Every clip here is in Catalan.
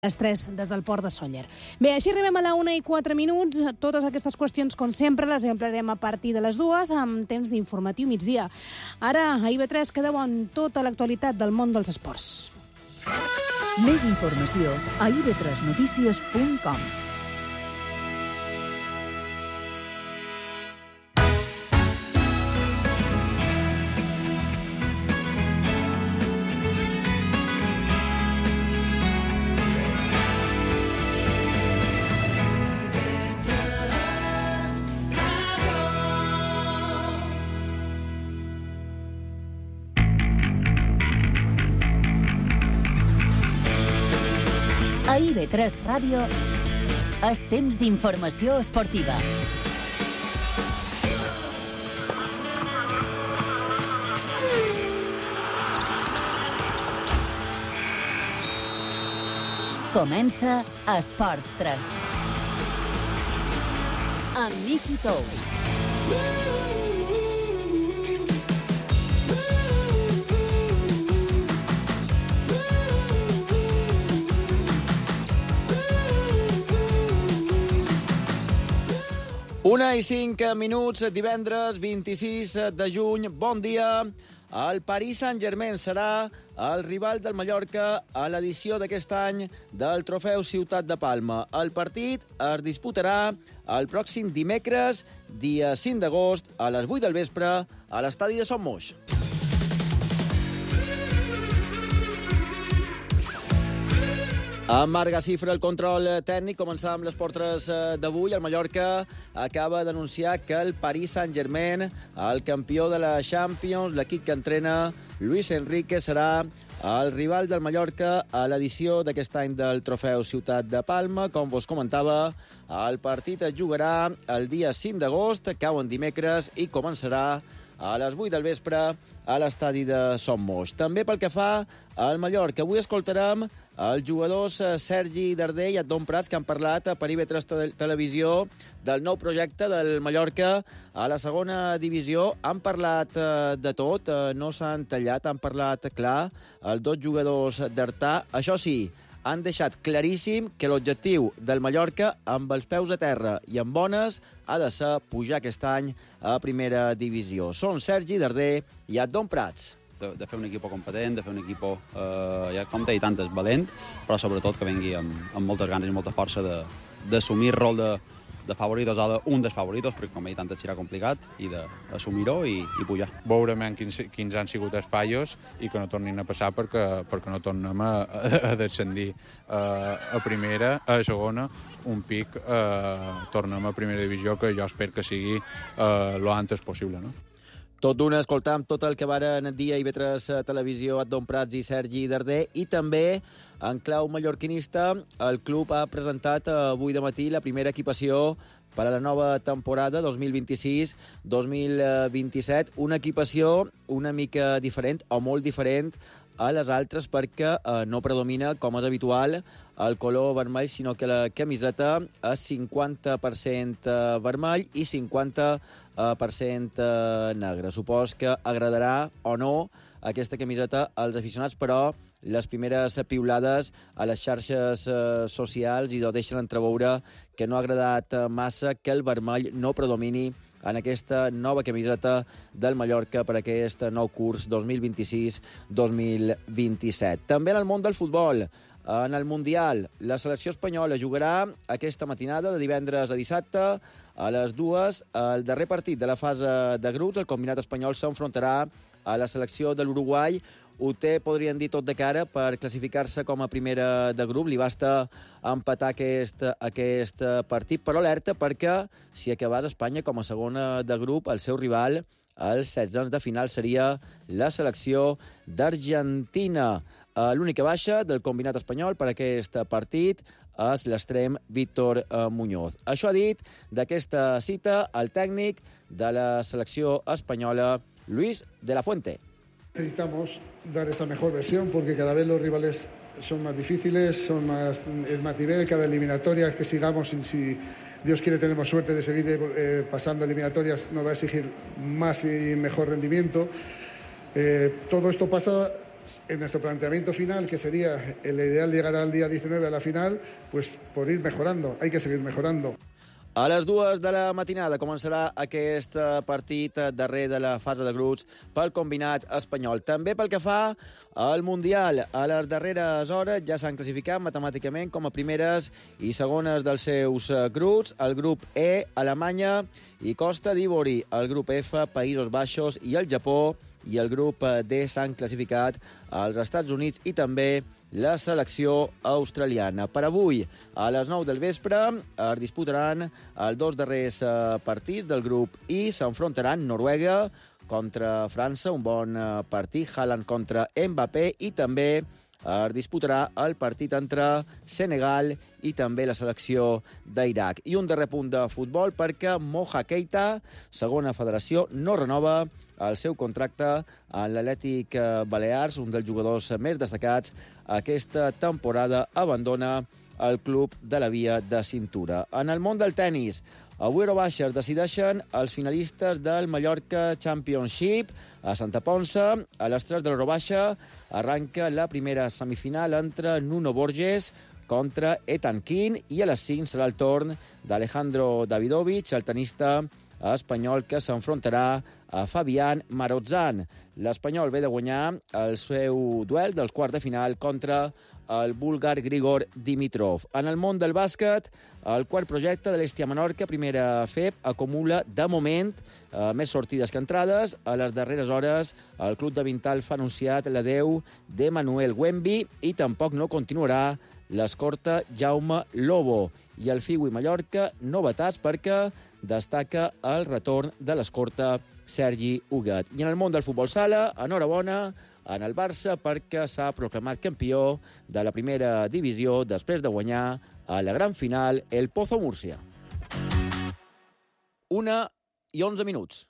Les 3 des del port de Sóller. Bé, així arribem a la 1:04. Totes aquestes qüestions, com sempre, les ampliarem a partir de les 2 amb temps d'informatiu migdia. Ara, a IB3 quedeu en tota l'actualitat del món dels esports. Més informació a ib3notícies.com. A IB3 Ràdio és temps d'informació esportiva. Comença Esports 3. Amb Miqui Tous. Una i 5 minuts, divendres 26 de juny. Bon dia. El Paris Saint-Germain serà el rival del Mallorca a l'edició d'aquest any del Trofeu Ciutat de Palma. El partit es disputarà el pròxim dimecres, dia 5 d'agost, a les 8 del vespre, a l'estadi de Son Moix. Amb Marc Gacifra, el control tècnic. Començar amb l'Esport 3 d'avui. El Mallorca acaba d'anunciar que el Paris Saint-Germain, el campió de la Champions, l'equip que entrena Luis Enrique, serà el rival del Mallorca a l'edició d'aquest any del Trofeu Ciutat de Palma. Com vos comentava, el partit es jugarà el dia 5 d'agost, cau en dimecres i començarà a les 8 del vespre a l'estadi de Son Moix. També pel que fa al Mallorca, avui escoltarem els jugadors Sergi Darder i Adon Prats, que han parlat per IB3 Televisió del nou projecte del Mallorca a la segona divisió. Han parlat de tot, no s'han tallat, han parlat clar els dos jugadors d'Artà. Això sí, han deixat claríssim que l'objectiu del Mallorca, amb els peus a terra i amb bones, ha de ser pujar aquest any a primera divisió. Són Sergi Darder i Adon Prats. De fer un equip competent, de fer un equip, ja com t'he dit antes, valent, però sobretot que vengui amb moltes ganes i molta força d'assumir el rol de favoritos o d'un dels favoritos, perquè com he dit antes serà complicat, i d'assumir-ho i pujar. Veurem quins han sigut els fallos i que no tornin a passar perquè no tornem a descendir a primera, a segona, un pic, tornem a primera divisió, que jo espero que sigui lo antes possible, no? Tot d'una, escoltam tot el que varen dir a IB3 Televisió Adon Prats i Sergi Darder, i també en clau mallorquinista el club ha presentat avui de matí la primera equipació per a la nova temporada 2026-2027, una equipació una mica diferent o molt diferent a les altres perquè no predomina, com és habitual, el color vermell, sinó que la camiseta és 50% vermell i 50% negre. Supos que agradarà o no aquesta camiseta als aficionats, però les primeres piulades a les xarxes socials i ho deixen entreveure que no ha agradat massa que el vermell no predomini en aquesta nova camiseta del Mallorca per aquest nou curs 2026-2027. També en el món del futbol, en el Mundial, la selecció espanyola jugarà aquesta matinada de divendres a dissabte a les 2, el darrer partit de la fase de grups. El combinat espanyol s'enfrontarà a la selecció de l'Uruguai. Ho té, podrien dir, tot de cara per classificar-se com a primera de grup. Li basta empatar aquest partit, però alerta perquè si acabés Espanya com a segona de grup, el seu rival als 16 de final seria la selecció d'Argentina. L'única baixa del combinat espanyol per aquest partit és l'extrem Víctor Muñoz. Això ha dit d'aquesta cita el tècnic de la selecció espanyola, Luis de la Fuente. Necesitamos dar esa mejor versión porque cada vez los rivales son más difíciles, es más nivel, cada eliminatoria que sigamos, y si Dios quiere tenemos suerte de seguir pasando eliminatorias, nos va a exigir más y mejor rendimiento. Todo esto pasa en nuestro planteamiento final, que sería el ideal llegar al día 19 a la final, pues por ir mejorando, hay que seguir mejorando. A les 2 de la matinada començarà aquest partit darrer de la fase de grups pel combinat espanyol. També pel que fa al Mundial, a les darreres hores ja s'han classificat matemàticament com a primeres i segones dels seus grups. El grup E, Alemanya i Costa d'Ivori. El grup F, Països Baixos i el Japó. I el grup D s'han classificat als Estats Units i també la selecció australiana. Per avui, a les 9 del vespre, es disputaran els 2 darrers partits del grup I. S'enfrontaran Noruega contra França, un bon partit, Haaland contra Mbappé, i també es disputarà el partit entre Senegal i també la selecció d'Iraq. I un darrer punt de futbol perquè Moja Keita, segona federació, no renova el seu contracte en l'Atlètic Balears, un dels jugadors més destacats aquesta temporada, abandona el club de la Via de Cintura. En el món del tennis, avui a Eurobaixa es decideixen els finalistes del Mallorca Championship a Santa Ponça. A les 3 de l'Eurobaixa arranca la primera semifinal entre Nuno Borges contra Ethan King i a les 5 serà el torn d'Alejandro Davidovich, el tenista espanyol que s'enfrontarà a Fabián Marozsan. L'espanyol ve de guanyar el seu duel dels quarts de final contra el búlgar Grigor Dimitrov. En el món del bàsquet, el quart projecte de l'Hestia Menorca, primera FEP, acumula, de moment, més sortides que entrades. A les darreres hores, el club de Vintalf ha anunciat l'adeu d'Emanuel Wemby i tampoc no continuarà l'escorta Jaume Lobo. I el Figui Mallorca, novetats perquè destaca el retorn de l'escorta Sergi Huguet. I en el món del futbol sala, enhorabona en el Barça perquè s'ha proclamat campió de la primera divisió després de guanyar a la gran final el Pozo Múrcia. 1:11.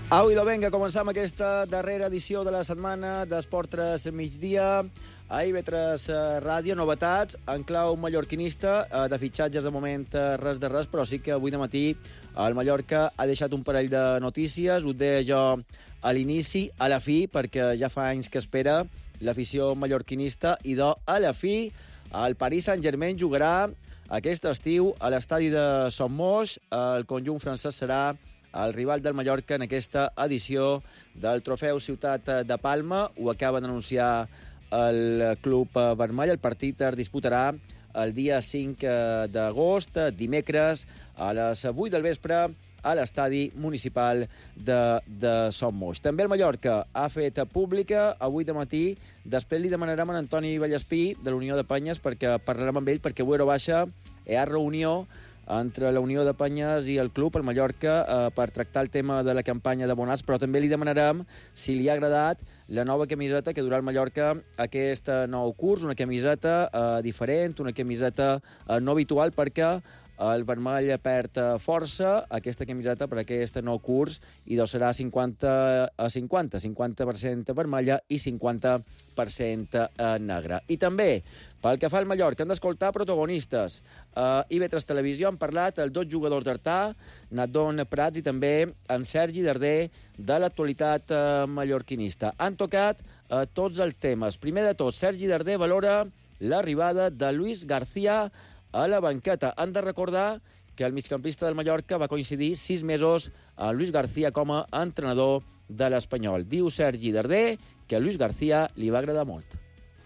Au, idò, vinga, començam aquesta darrera edició de la setmana d'Esport 3 migdia. A IB3 Ràdio, novetats en clau mallorquinista, de fitxatges de moment res de res, però sí que avui de matí el Mallorca ha deixat un parell de notícies, ho deia jo a l'inici, a la fi, perquè ja fa anys que espera l'afició mallorquinista, i a la fi el Paris Saint-Germain jugarà aquest estiu a l'estadi de Son Moix. El conjunt francès serà el rival del Mallorca en aquesta edició del Trofeu Ciutat de Palma. Ho acaba d'anunciar el club vermell. El partit es disputarà el dia 5 d'agost, dimecres, a les 8 del vespre, a l'estadi municipal de Son Moix. També el Mallorca ha fet pública avui de matí. Després li demanarem a Antoni Vallespí, de l'Unió de Penyes, perquè parlarem amb ell, perquè avui a Eurobaixa hi ha reunió entre la Unió de Penyes i el club, el Mallorca, per tractar el tema de la campanya d'abonats, però també li demanarem si li ha agradat la nova camiseta que durà el Mallorca aquest nou curs, una camiseta diferent, una camiseta no habitual, perquè el vermell perd força, aquesta camiseta per aquest nou curs, i serà 50% vermella i 50% negra. I també, pel que fa al Mallorca, han d'escoltar protagonistes. A IB3 Televisió han parlat els 2 jugadors d'Artà, Nadon Prats i també en Sergi Darder, de l'actualitat mallorquinista. Han tocat tots els temes. Primer de tot, Sergi Darder valora l'arribada de Luis García a la banqueta. Han de recordar que el migcampista del Mallorca va coincidir 6 mesos amb Luis García com a entrenador de l'Espanyol. Diu Sergi Darder que a Luis García li va agradar molt.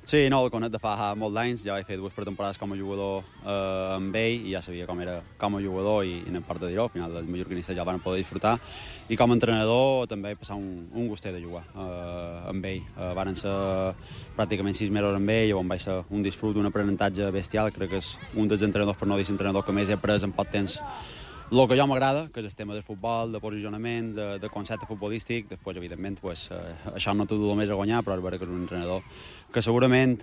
Sí, no, el conec de fa molt d'anys. Ja vaig fer 2 pretemporades com a jugador amb ell i ja sabia com era com a jugador i no em part de dir-ho. Al final els mallorquinistes ja el van poder disfrutar. I com a entrenador també vaig passar un gustet de jugar amb ell. Van ser pràcticament 6 mesos amb ell, on vaig ser un disfrut, un aprenentatge bestial. Crec que és un dels entrenadors, per no dir entrenador, que més he après en poc temps el que jo m'agrada, que és el tema del futbol, de posicionament, de concepte futbolístic. Després, evidentment, això no t'ho du més a guanyar, però és vera que és un entrenador que segurament,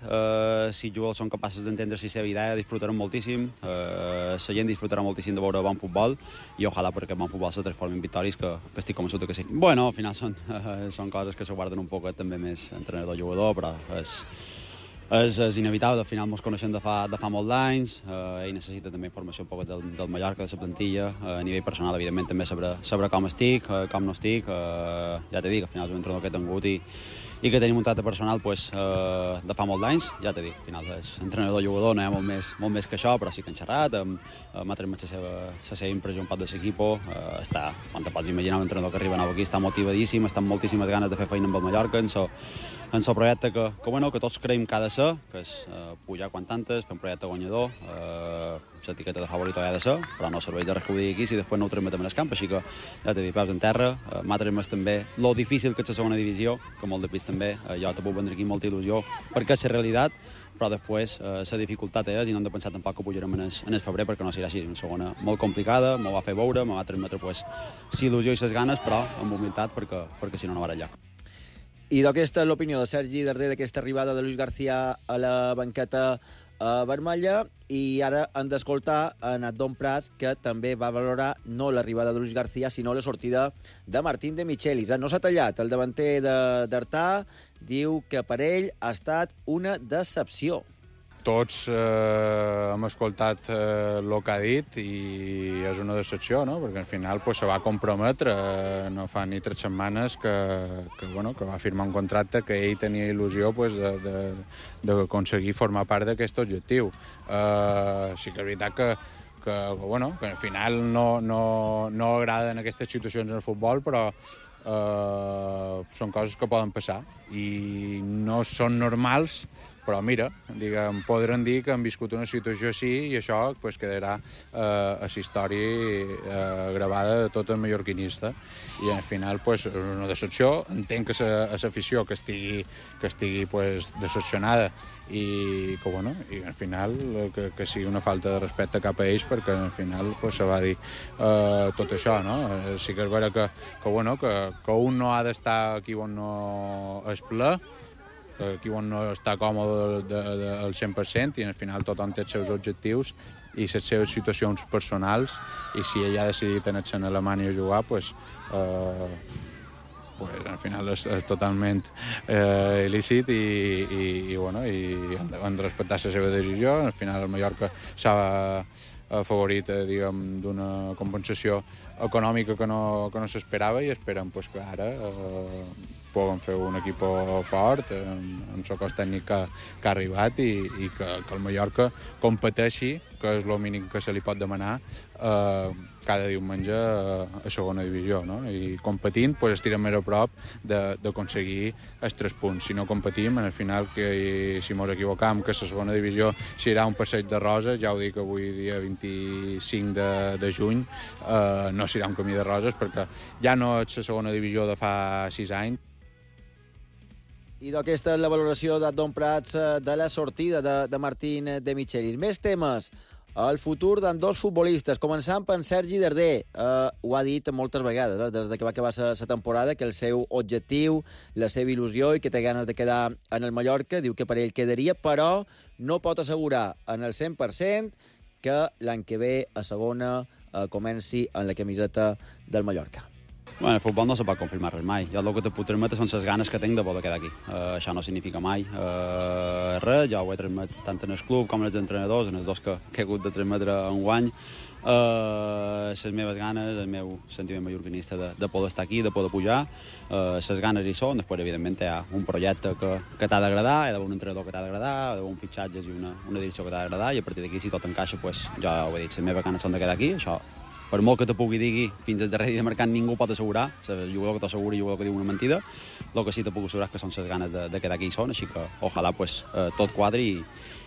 si els jugadors són capaços d'entendre la seva idea, disfrutaran moltíssim, la gent disfrutarà moltíssim de veure bon futbol, i ojalà perquè el bon futbol se transformi en victòries, que estic convençut que sí. Bueno, al final són coses que se guarden un poc també més entrenador-jugador, però és inevitable. Al final ens coneixem de fa molts anys, ell necessita també informació un poc del Mallorca, de la plantilla, a nivell personal, evidentment, també saber com estic, com no estic, ja t'he dit, al final és un entrenador que he tingut i que tenim un tracte personal de fa molts anys, ja t'he dit, al final és entrenador-jugador, no hi ha molt més que això, però sí que han xerrat, m'ha transmet la seva impressió un poc de l'equip, està, quan te pots imaginar un entrenador que arriba nou aquí, està motivadíssim, està amb moltíssimes ganes de fer feina amb el Mallorca, en el projecte que tots creiem que ha de ser, que és pujar quan tantes, fer un projecte guanyador, l'etiqueta de favorito ha de ser, però no serveix de res que ho digui aquí si després no ho transmetem en el camp, així que ja t'he dit, peus en terra, m'ha transmès també lo difícil que és la segona divisió, que molt de pis també, jo te puc vendre aquí molta il·lusió, perquè és la realitat, però després la dificultat és, i no hem de pensar tampoc que pujarem en el febrer, perquè no serà així, una segona molt complicada, m'ho va fer veure, me va transmetre il·lusió i les ganes, però amb humilitat, perquè si no va enlloc. I d'aquesta és l'opinió de Sergi Darder d'aquesta arribada de Luis García a la banqueta vermella, i ara hem d'escoltar en Adon Prats, que també va valorar no l'arribada de Luis García, sinó la sortida de Martín de Michelis. No s'ha tallat. El davanter d'Artà diu que per ell ha estat una decepció. Tots hem escoltat el que ha dit i és una decepció, no? Perquè al final se va comprometre, no fa ni 3 setmanes que va firmar un contracte que ell tenia il·lusió d'aconseguir formar part d'aquest objectiu. Sí que és veritat que al final no agraden aquestes situacions en el futbol, però són coses que poden passar i no són normals, però mira, podran dir que han viscut una situació així i això quedarà a la història gravada de tot el mallorquinista, i al final és una decepció. Entenc que l'afició que estigui decepcionada i que al final que sigui una falta de respecte cap a ells, perquè al final se va dir tot això, no? Sí que és vera que un no ha d'estar aquí on no es ple, aquí on no està còmode al 100%, i al final tothom té els seus objectius i les seves situacions personals, i si ell ha decidit anar-se a Alemanya a jugar, al final és totalment il·lícit i han de respectar la seva decisió. Al final el Mallorca s'ha afavorit d'una compensació econòmica que no s'esperava, i esperem que ara puguem fer un equip fort amb el cos tècnic que ha arribat, i que el Mallorca competeixi, que és el mínim que se li pot demanar cada diumenge a segona divisió, no? I competint estirem més a prop d'aconseguir els 3 punts. Si no competim, al final, si ens equivocam, que la segona divisió serà un passeig de roses, ja ho dic avui dia 25 de juny, no serà un camí de roses, perquè ja no és la segona divisió de fa 6 anys. I d'aquesta és la valoració d'Adon Prats de la sortida de Martín de Michelis. Més temes. El futur d'ambdós futbolistes, començant per Sergi Darder. Ho ha dit moltes vegades, des que va acabar la temporada, que el seu objectiu, la seva il·lusió i que té ganes de quedar en el Mallorca, diu que per ell quedaria, però no pot assegurar en el 100% que l'any que ve a segona comenci en la camiseta del Mallorca. Bueno, el futbol no se pot confirmar res mai. Jo el que te puc transmetre són les ganes que tinc de poder quedar aquí. Això no significa mai res. Jo ho he transmet tant en el club com en els entrenadors, en els dos que he hagut de transmetre enguany. Les meves ganes, el meu sentiment mallorquinista de poder estar aquí, de poder pujar. Les ganes hi són. Després, evidentment, hi ha un projecte que t'ha d'agradar, hi ha d'haver un entrenador que t'ha d'agradar, hi ha d'haver un fitxatge i una direcció que t'ha d'agradar, i a partir d'aquí, si tot encaixa, jo ho he dit, les meves ganes són de quedar aquí. Això, per molt que te pugui dir, fins al darrer dia de mercat ningú pot assegurar. El jugador que t'assegura i el jugador que diu una mentida. El que sí te puc assegurar és que són les ganes de quedar aquí hi són, així que ojalà tot quadri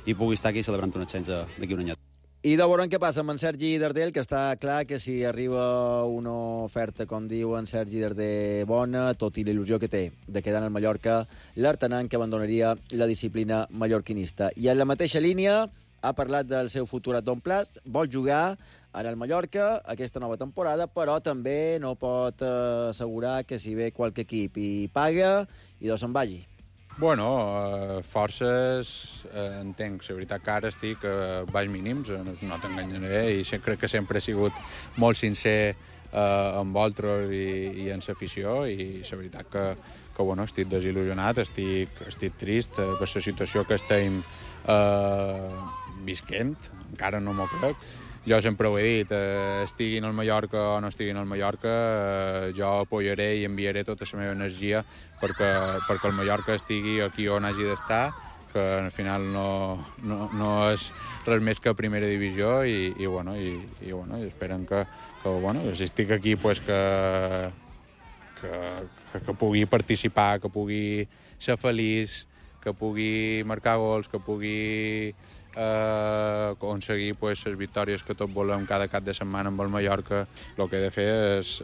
i pugui estar aquí celebrant un ascens d'aquí un anyet. I de veurem què passa amb en Sergi Darder, que està clar que si arriba una oferta, com diu en Sergi Darder, bona, tot i la il·lusió que té de quedar en el Mallorca, l'artenant que abandonaria la disciplina mallorquinista. I en la mateixa línia ha parlat del seu futur a Don Plas, vol jugar en el Mallorca aquesta nova temporada, però també no pot assegurar que si ve qualque equip i paga, i se'n vagi. Bueno, forces entenc. La veritat que ara estic a baix mínims, no t'enganyaré, i crec que sempre he sigut molt sincer amb vosaltres i en l'afició, i la veritat que bueno, estic desil·lusionat, estic trist per la situació que estem visquent, encara no m'ho crec. Jo sempre ho he dit, estiguin al Mallorca o no estiguin al Mallorca, jo apoyaré i enviaré tota la meva energia perquè el Mallorca estigui aquí on hagi d'estar, que al final no és res més que primera divisió, i esperen que bueno, si estic aquí, pues que pugui participar, que pugui ser feliç, que pugui marcar gols, que pugui aconseguir pues, les victòries que tots volem cada cap de setmana amb el Mallorca. El que he de fer és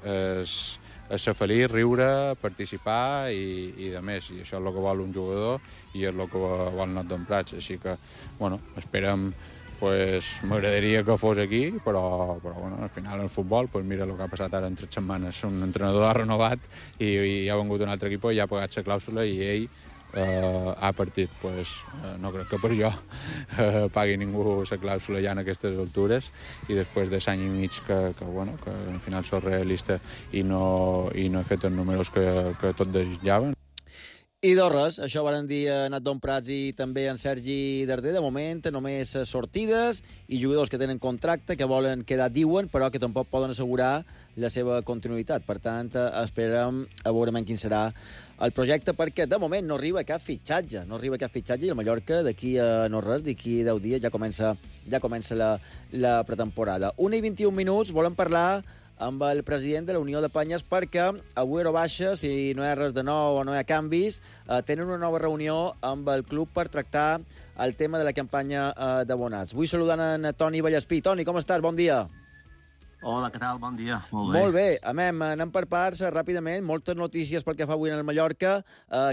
ser feliç, riure, participar i de més. I això és el que vol un jugador i és el que vol Not Prats. Així que, bueno, esperem. Pues, m'agradaria que fos aquí, però bueno, al final el futbol, pues mira el que ha passat ara en 3 setmanes. Un entrenador ha renovat i ha vengut un altre equip i ha pagat la clàusula i ell ha partit. Pues, no crec que per jo pagui ningú la clàusula ja en aquestes altures, i després de l'any i mig que al final soc realista i no he fet els números que tots desitjaven. I res, això varen dir Nat Prats i també en Sergi Darder. De moment només sortides i jugadors que tenen contracte, que volen quedar, diuen, però que tampoc poden assegurar la seva continuïtat. Per tant, esperem a veure quin serà el projecte, perquè de moment no arriba cap fitxatge. I el Mallorca d'aquí a no res, d'aquí 10 dies ja comença la pretemporada. 1:21, volem parlar amb el president de la Unió de Penyes, perquè avui a baixa, si no hi ha res de nou o no hi ha canvis, tenen una nova reunió amb el club per tractar el tema de la campanya d'abonats. Vull saludar en Toni Vallespí. Toni, com estàs? Bon dia. Hola, què tal? Bon dia. Molt bé. Molt bé. Anem per parts, ràpidament. Moltes notícies pel que fa avui en el Mallorca.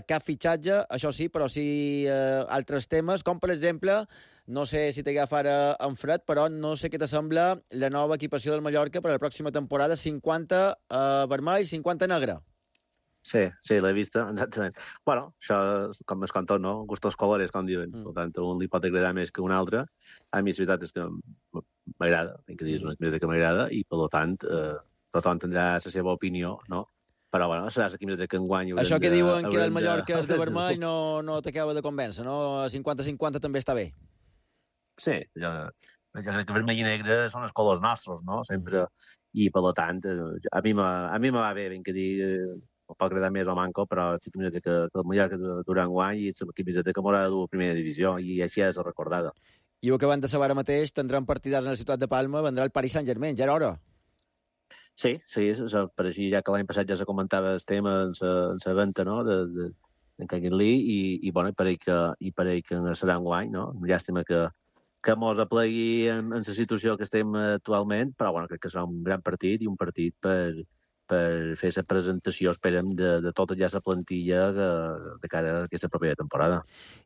Cap fitxatge, això sí, però sí altres temes, com per exemple, no sé si t'agafa ara en fred, però no sé què t'assembla la nova equipació del Mallorca per a la pròxima temporada, 50 vermell, 50 negre. Sí, l'he vista, exactament. Bueno, això, com es conta, no? Gustos colores, com diuen. Per tant, un li pot agradar més que un altre. A mi, la veritat és que m'agrada, tinc que dir, és una camiseta que m'agrada, i, per tant, tothom tindrà la seva opinió, no? Però, bueno, serà la camiseta que enguany... Això que diuen que el Mallorca és de vermell no t'acaba de convèncer, no? 50-50 també està bé. Sí, jo crec que vermell i negre són els colors nostres, no? Sempre. I, per tant, a mi me va bé, ben que dir, pot agradar més o manco, però és la camiseta que el Mallorca durant guany i és la camiseta que m'haurà de dur a primera divisió, i així és recordada. I ho que van de saber ara mateix, tindran partidars en la ciutat de Palma, vendrà el Paris Saint-Germain, ja era hora. Sí, per així, ja que l'any passat ja se comentava el tema en la venda, no?, d'en Kengan Lee, i pareix que serà enguany, no? Llàstima que mos aplegui en la situació que estem actualment, però bueno, crec que serà un gran partit i un partit per fer la presentació, esperem, de tota ja la plantilla de cara a aquesta propera temporada.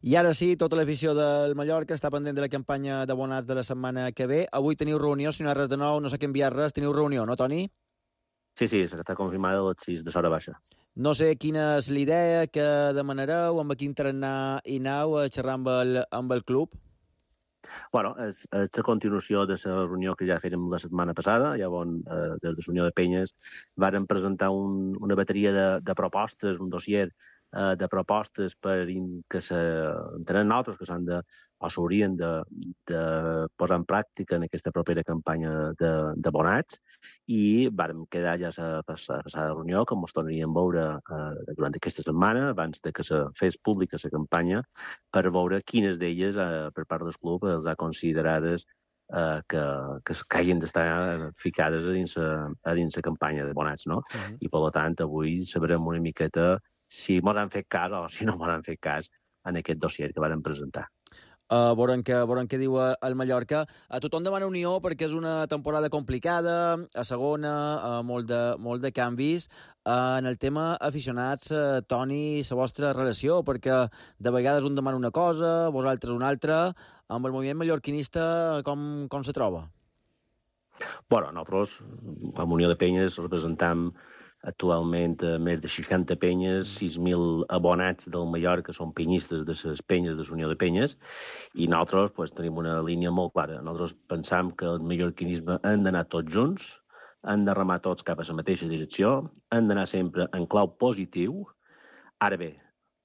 I ara sí, tota l'afició del Mallorca està pendent de la campanya d'abonats de la setmana que ve. Avui teniu reunió, si no hi ha res de nou, no sé què enviar res, teniu reunió, no, Toni? Sí, està confirmada a les 6 de l'hora baixa. No sé quina és l'idea que demanareu, amb quin tarannà hi aneu a xerrar amb el club? Bueno, és la continuació de la reunió que ja fèrem la setmana passada, ja on des de la Unió de Penyes varen presentar una bateria de propostes, un dossier de propostes que entenem nosaltres que s'han de o s'haurien de posar en pràctica en aquesta propera campanya d'abonats, i vàrem quedar ja a la passada reunió que ens tornaríem a veure durant aquesta setmana, abans de que se fes pública la campanya, per veure quines d'elles, per part del club, els ha considerades que hagin d'estar ficades a dins la campanya d'abonats, no? I, per tant, avui sabrem una miqueta si mos han fet cas o si no mos han fet cas en aquest dossier que vàrem presentar. Veurem què diu el Mallorca. A tothom demana unió perquè és una temporada complicada, a segona, molt de canvis. En el tema aficionats, Toni, la vostra relació, perquè de vegades un demana una cosa, vosaltres una altra. Amb el moviment mallorquinista, com se troba? Bueno, nosaltres, amb Unió de Penyes, representam actualment més de 60 penyes, 6.000 abonats del Mallorca són penyistes de les penyes de la Unió de Penyes, i nosaltres pues, tenim una línia molt clara. Nosaltres pensam que el mallorquinisme han d'anar tots junts, han de remar tots cap a la mateixa direcció, han d'anar sempre en clau positiu. Ara bé,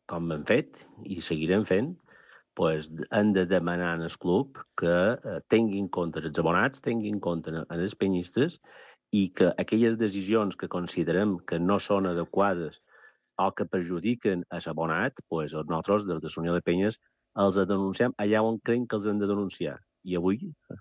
com hem fet i seguirem fent, pues, han de demanar al club que tinguin en compte els abonats, tinguin en compte els penyistes, i que aquelles decisions que considerem que no són adequades o que perjudiquen a l'abonat, pues, nosaltres, des de la Unió de Penyes, els denunciem allà on creiem que els hem de denunciar. I avui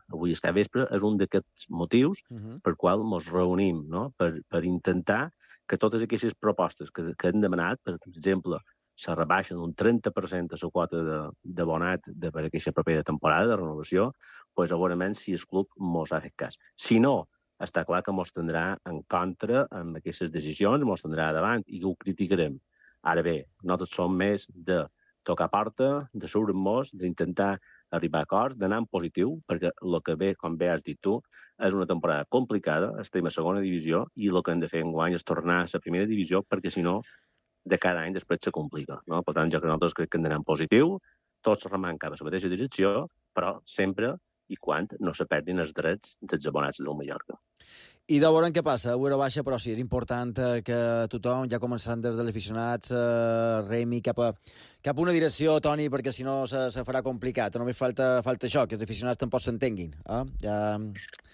aquest vespre, és un d'aquests motius per qual ens reunim, no? Per intentar que totes aquestes propostes que hem demanat, per exemple, se rebaixen un 30% a la quota d'abonat per aquesta propera temporada de renovació, pues, segurament si el club ens ha fet cas. Si no, està clar que ens tindrà en contra amb aquestes decisions, ens tindrà davant i ho criticarem. Ara bé, nosaltres som més de tocar porta, de seure-nos, d'intentar arribar a acords, d'anar en positiu, perquè el que ve, com bé has dit tu, és una temporada complicada, estem a segona divisió, i el que hem de fer enguany és tornar a la primera divisió, perquè si no, de cada any després se complica. No? Per tant, jo que nosaltres crec que hem d'anar en positiu, tots remant cap a la mateixa direcció, però sempre i quan no se perdin els drets dels abonats del Mallorca. I de veure què passa, Eurobaixa, però sí, és important que tothom, ja començant des dels aficionats, remi cap a una direcció, Toni, perquè si no se farà complicat. Només falta això, que els aficionats tampoc s'entenguin.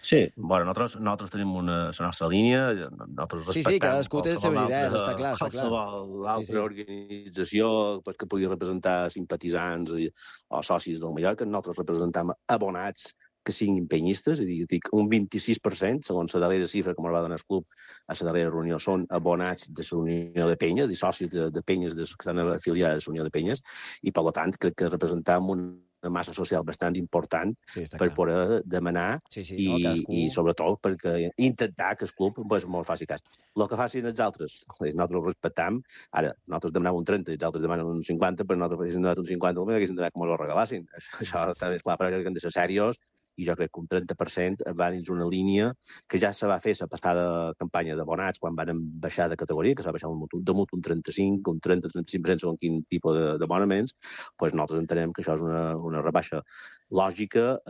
Sí, bueno, nosaltres tenim la nostra línia, nosaltres respectem... Sí, cadascú té les seves idees, està clar. Qualsevol altra organització que pugui representar simpatitzants o socis del Mallorca, nosaltres representam abonats que siguin penyistes, és a dir, un 26%, segons la darrera xifra que ens va donar el club a la darrera reunió, són abonats de la Unió de Penyes, i socis de penyes que estan afiliades a la Unió de Penyes, i per tant crec que representam una massa social bastant important per poder demanar i sobretot perquè intentar que el club ens faci cas. El que facin els altres, nosaltres ho respectam. Ara, nosaltres demanem un 30 i els altres demanen un 50, però nosaltres haguéssim donat un 50, haguéssim donat com els regalassin. Això està més clar, però que hem de ser serios, i jo crec que un 30% va dins una línia que ja se va fer la passada campanya d'abonats quan van baixar de categoria, que s'ha baixat damunt un 35, un 30-35% segons quin tipus d'abonaments, doncs nosaltres entenem que això és una rebaixa lògica,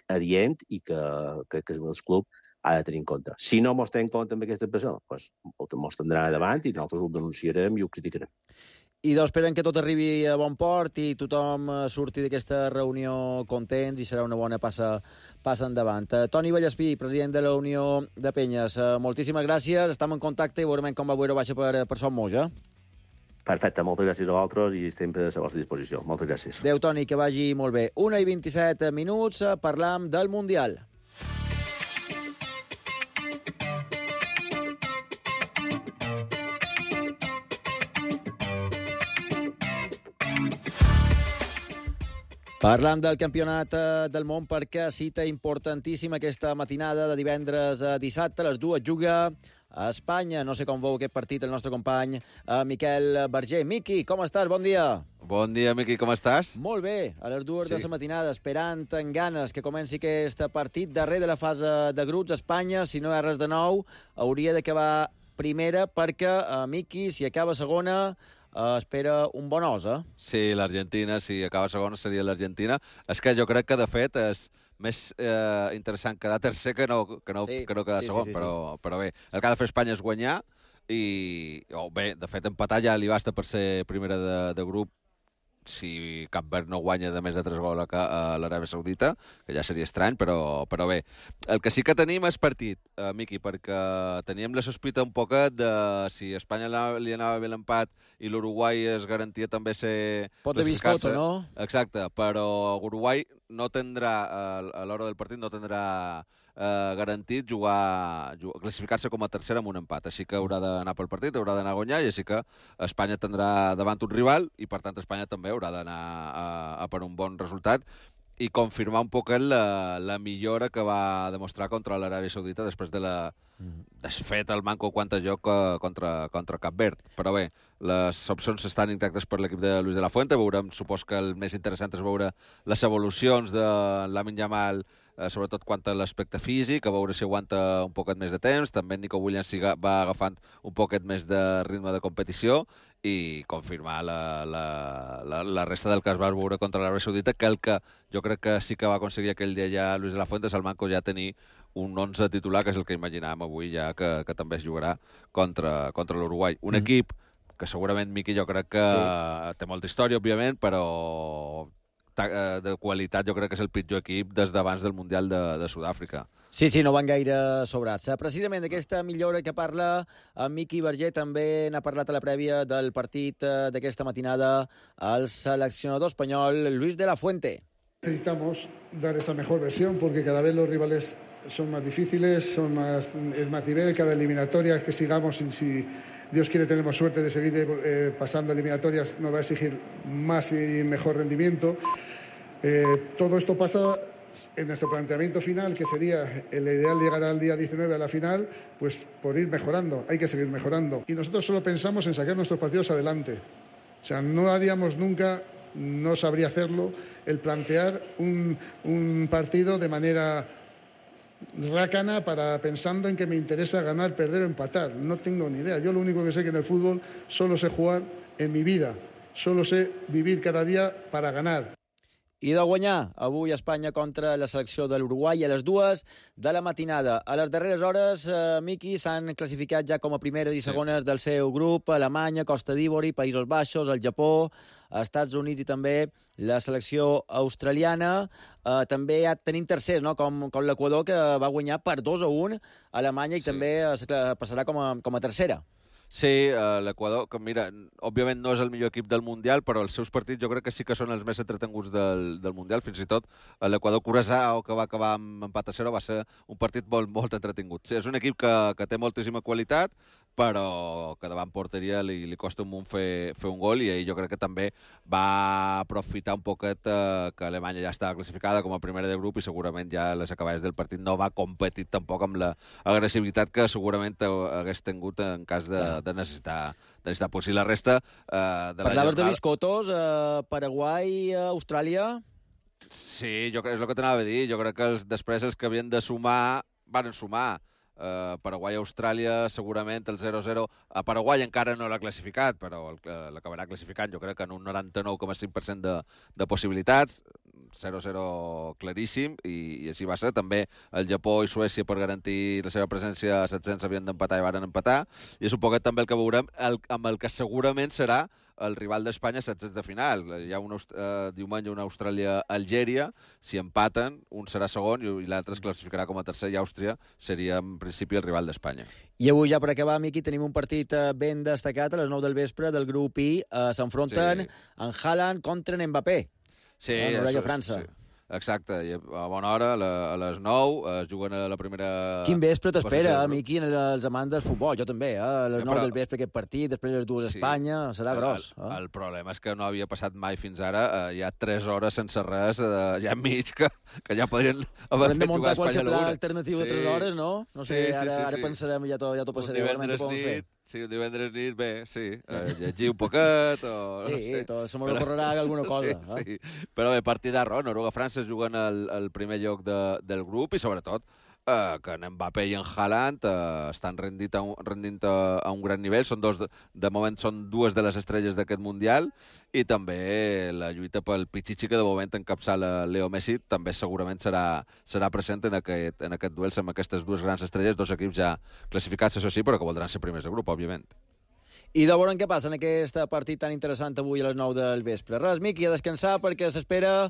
adient, i que el club ha de tenir en compte. Si no ens té en compte amb aquesta pressió, doncs ens tindrà davant i nosaltres ho denunciarem i ho criticarem. I doncs esperem que tot arribi a bon port i tothom surti d'aquesta reunió contents i serà una bona passa endavant. Toni Vallespí, president de la Unió de Penyes, moltíssimes gràcies, estem en contacte i veurem com va Eurobaixa per Som Moix. Perfecte, moltes gràcies a vosaltres i sempre a la vostra disposició. Moltes gràcies. Adéu, Toni, que vagi molt bé. 1:27 minuts, parlam del Mundial. Parlam del campionat del món perquè cita importantíssima aquesta matinada de divendres a dissabte. A les 2 juga a Espanya. No sé com veu aquest partit el nostre company Miquel Berger. Miqui, com estàs? Bon dia. Bon dia, Miqui, com estàs? Molt bé, a les 2 de la matinada, esperant en ganes que comenci aquest partit darrer de la fase de grups. Espanya, si no hi ha res de nou, hauria d'acabar primera perquè, Miqui, si acaba segona, espera un bon os, Sí, l'Argentina, si acaba segona seria l'Argentina. És que jo crec que, de fet, és més interessant quedar tercer que no quedar segon, sí. Però bé, el que ha de fer Espanya és guanyar i, bé, de fet, empatar ja li basta per ser primera de grup si Cap Verd no guanya de més de 3 gols a l'Aràbia Saudita, que ja seria estrany, però bé. El que sí que tenim és partit, Miqui, perquè teníem la sospita un poquet de si a Espanya li anava bé l'empat i l'Uruguai es garantia també ser... Pot de biscotto, no? Exacte, però Uruguai no tindrà, a l'hora del partit, no tindrà garantit classificar-se com a tercera amb un empat. Així que haurà d'anar pel partit, haurà d'anar a guanyar, i així que Espanya tindrà davant un rival i, per tant, Espanya també haurà d'anar a per un bon resultat i confirmar un poc la millora que va demostrar contra l'Aràbia Saudita després de la desfeta al manco quant a joc contra Cap Verd. Però bé, les opcions estan intactes per l'equip de Luis de la Fuente. Veurem, supos que el més interessant és veure les evolucions de Lamine Yamal sobretot quant a l'aspecte físic, a veure si aguanta un poquet més de temps. També Nico Williams va agafant un poquet més de ritme de competició i confirmar la resta del que es va veure contra l'Aràbia Saudita, que el que jo crec que sí que va aconseguir aquell dia ja Luis de la Fuente, el manco ja tenir un 11 titular, que és el que imaginàvem avui ja que també es jugarà contra l'Uruguai. Un equip que segurament, Miqui, jo crec que té molta història, òbviament, però de qualitat jo crec que és el pitjor equip des d'abans del Mundial de Sud-àfrica. Sí, no van gaire sobrats. Precisament d'aquesta millora que parla en Miqui Verger també n'ha parlat a la prèvia del partit d'aquesta matinada el seleccionador espanyol Luis de la Fuente. Necesitamos dar esa mejor versión porque cada vez los rivales son más difíciles, es más nivel, cada eliminatoria que sigamos, y si Dios quiere tenemos suerte de seguir pasando eliminatorias, nos va a exigir más y mejor rendimiento. Todo esto pasa en nuestro planteamiento final, que sería el ideal llegar al día 19 a la final, pues por ir mejorando, hay que seguir mejorando. Y nosotros solo pensamos en sacar nuestros partidos adelante. O sea, no haríamos nunca, no sabría hacerlo, el plantear un partido de manera rácana pensando en que me interesa ganar, perder o empatar. No tengo ni idea. Yo lo único que sé que en el fútbol solo sé jugar en mi vida. Solo sé vivir cada día para ganar. I de guanyar avui Espanya contra la selecció de l'Uruguai a les 2 de la matinada. A les darreres hores, Miqui, s'han classificat ja com a primeres i segones del seu grup Alemanya, Costa d'Ivori, Països Baixos, el Japó, Estats Units i també la selecció australiana. També tenim tercers, no? com l'Equador, que va guanyar per 2-1 a Alemanya i també passarà com a tercera. Sí, l'Equador, que mira, òbviament no és el millor equip del Mundial, però els seus partits jo crec que sí que són els més entretenguts del Mundial. Fins i tot l'Equador-Curaçao, que va acabar amb empat a 0, va ser un partit molt entretingut. Sí, és un equip que té moltíssima qualitat, però que davant porteria li costa un munt fer un gol, i ahir jo crec que també va aprofitar un poquet que Alemanya ja estava classificada com a primera de grup i segurament ja a les acabades del partit no va competir tampoc amb l'agressivitat que segurament hagués tingut en cas de necessitar pues, si la resta de Parlaves de biscotos, Paraguai, Austràlia... Sí, jo crec, és el que t'anava a dir. Jo crec que després els que havien de sumar van sumar. Paraguai-Austràlia, segurament el 0-0. A Paraguai encara no l'ha classificat, però l'acabarà classificant, jo crec que en un 99,5% de possibilitats. 0-0 claríssim, i així va ser. També el Japó i Suècia, per garantir la seva presència a 700, havien d'empatar i varen empatar. I és un poquet també el que veurem amb el que segurament serà el rival d'Espanya a 16 de final. Hi ha diumenge una Austràlia-Algèria. Si empaten, un serà segon i l'altre es classificarà com a tercer, i Àustria seria, en principi, el rival d'Espanya. I avui, ja per acabar, Miqui, tenim un partit ben destacat a les 9 del vespre del grup I. S'enfronten en Haaland contra en Mbappé. Sí, Noruega-França. Sí. Exacte, i a bona hora, a les 9, juguen a la primera... Quin vespre t'espera, Miqui, els amants del futbol? Jo també, a les 9 del vespre aquest partit, després les 2 d'Espanya, serà gros. El problema és que no havia passat mai fins ara, hi ha 3 hores sense res, ja enmig, que ja podrien haver fet jugar a Espanya a l'una. Hem de muntar qualque pla alternatiu de 3 hores, no? No sé, ara pensarem, ja t'ho passaré. Divendres nit, sí, divendres nit, bé, sí, llegir un poquet o... Sí, se m'ho correrà alguna cosa. Sí, però bé, partidarro, Noruega-França juguen al primer lloc del grup, i sobretot que en Mbappé i en Haaland estan rendint a un gran nivell. De moment són dues de les estrelles d'aquest Mundial, i també la lluita pel Pichichi, que de moment encapçala Leo Messi, també segurament serà present en aquest duel amb aquestes dues grans estrelles, dos equips ja classificats, això sí, però que voldran ser primers de grup, òbviament. I de veure què passa en aquest partit tan interessant avui a les 9 del vespre. Res, Miqui, a descansar, perquè s'espera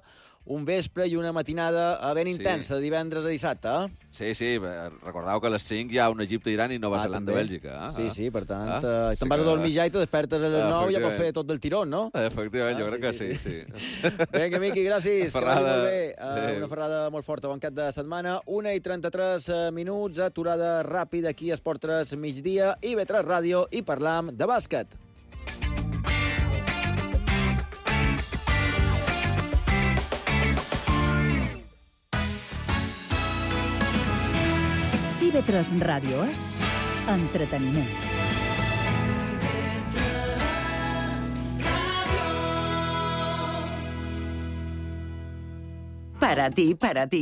un vespre i una matinada ben intensa, de divendres a dissabte. Sí, recordeu que a les 5 hi ha un Egipte-Iran i Nova Zelanda-Bèlgica. Sí, per tant, te'n vas a dormir ja i te despertes a les 9 i ja pots fer tot del tirón, no? Efectivament, jo crec que sí. Vinga, Miqui, gràcies. Que vagi molt bé. Una ferrada molt forta, bon cap de setmana. 1:33 minuts, aturada ràpida aquí a Esport 3 migdia, i IB3 Ràdio, i parlam de bàsquet. IB3 Ràdio és entreteniment. Para ti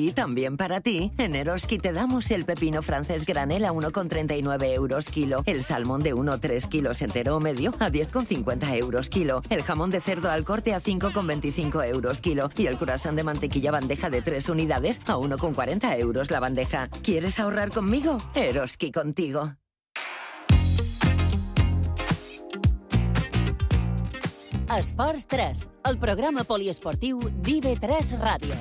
y también para ti, en Eroski te damos el pepino francés granel a 1,39 euros kilo, el salmón de 1,3 kilos entero o medio a 10,50 euros kilo, el jamón de cerdo al corte a 5,25 euros kilo y el croissant de mantequilla bandeja de 3 unidades a 1,40 euros la bandeja. ¿Quieres ahorrar conmigo? Eroski contigo. Esports 3, el programa poliesportiu d'IV3 Ràdio.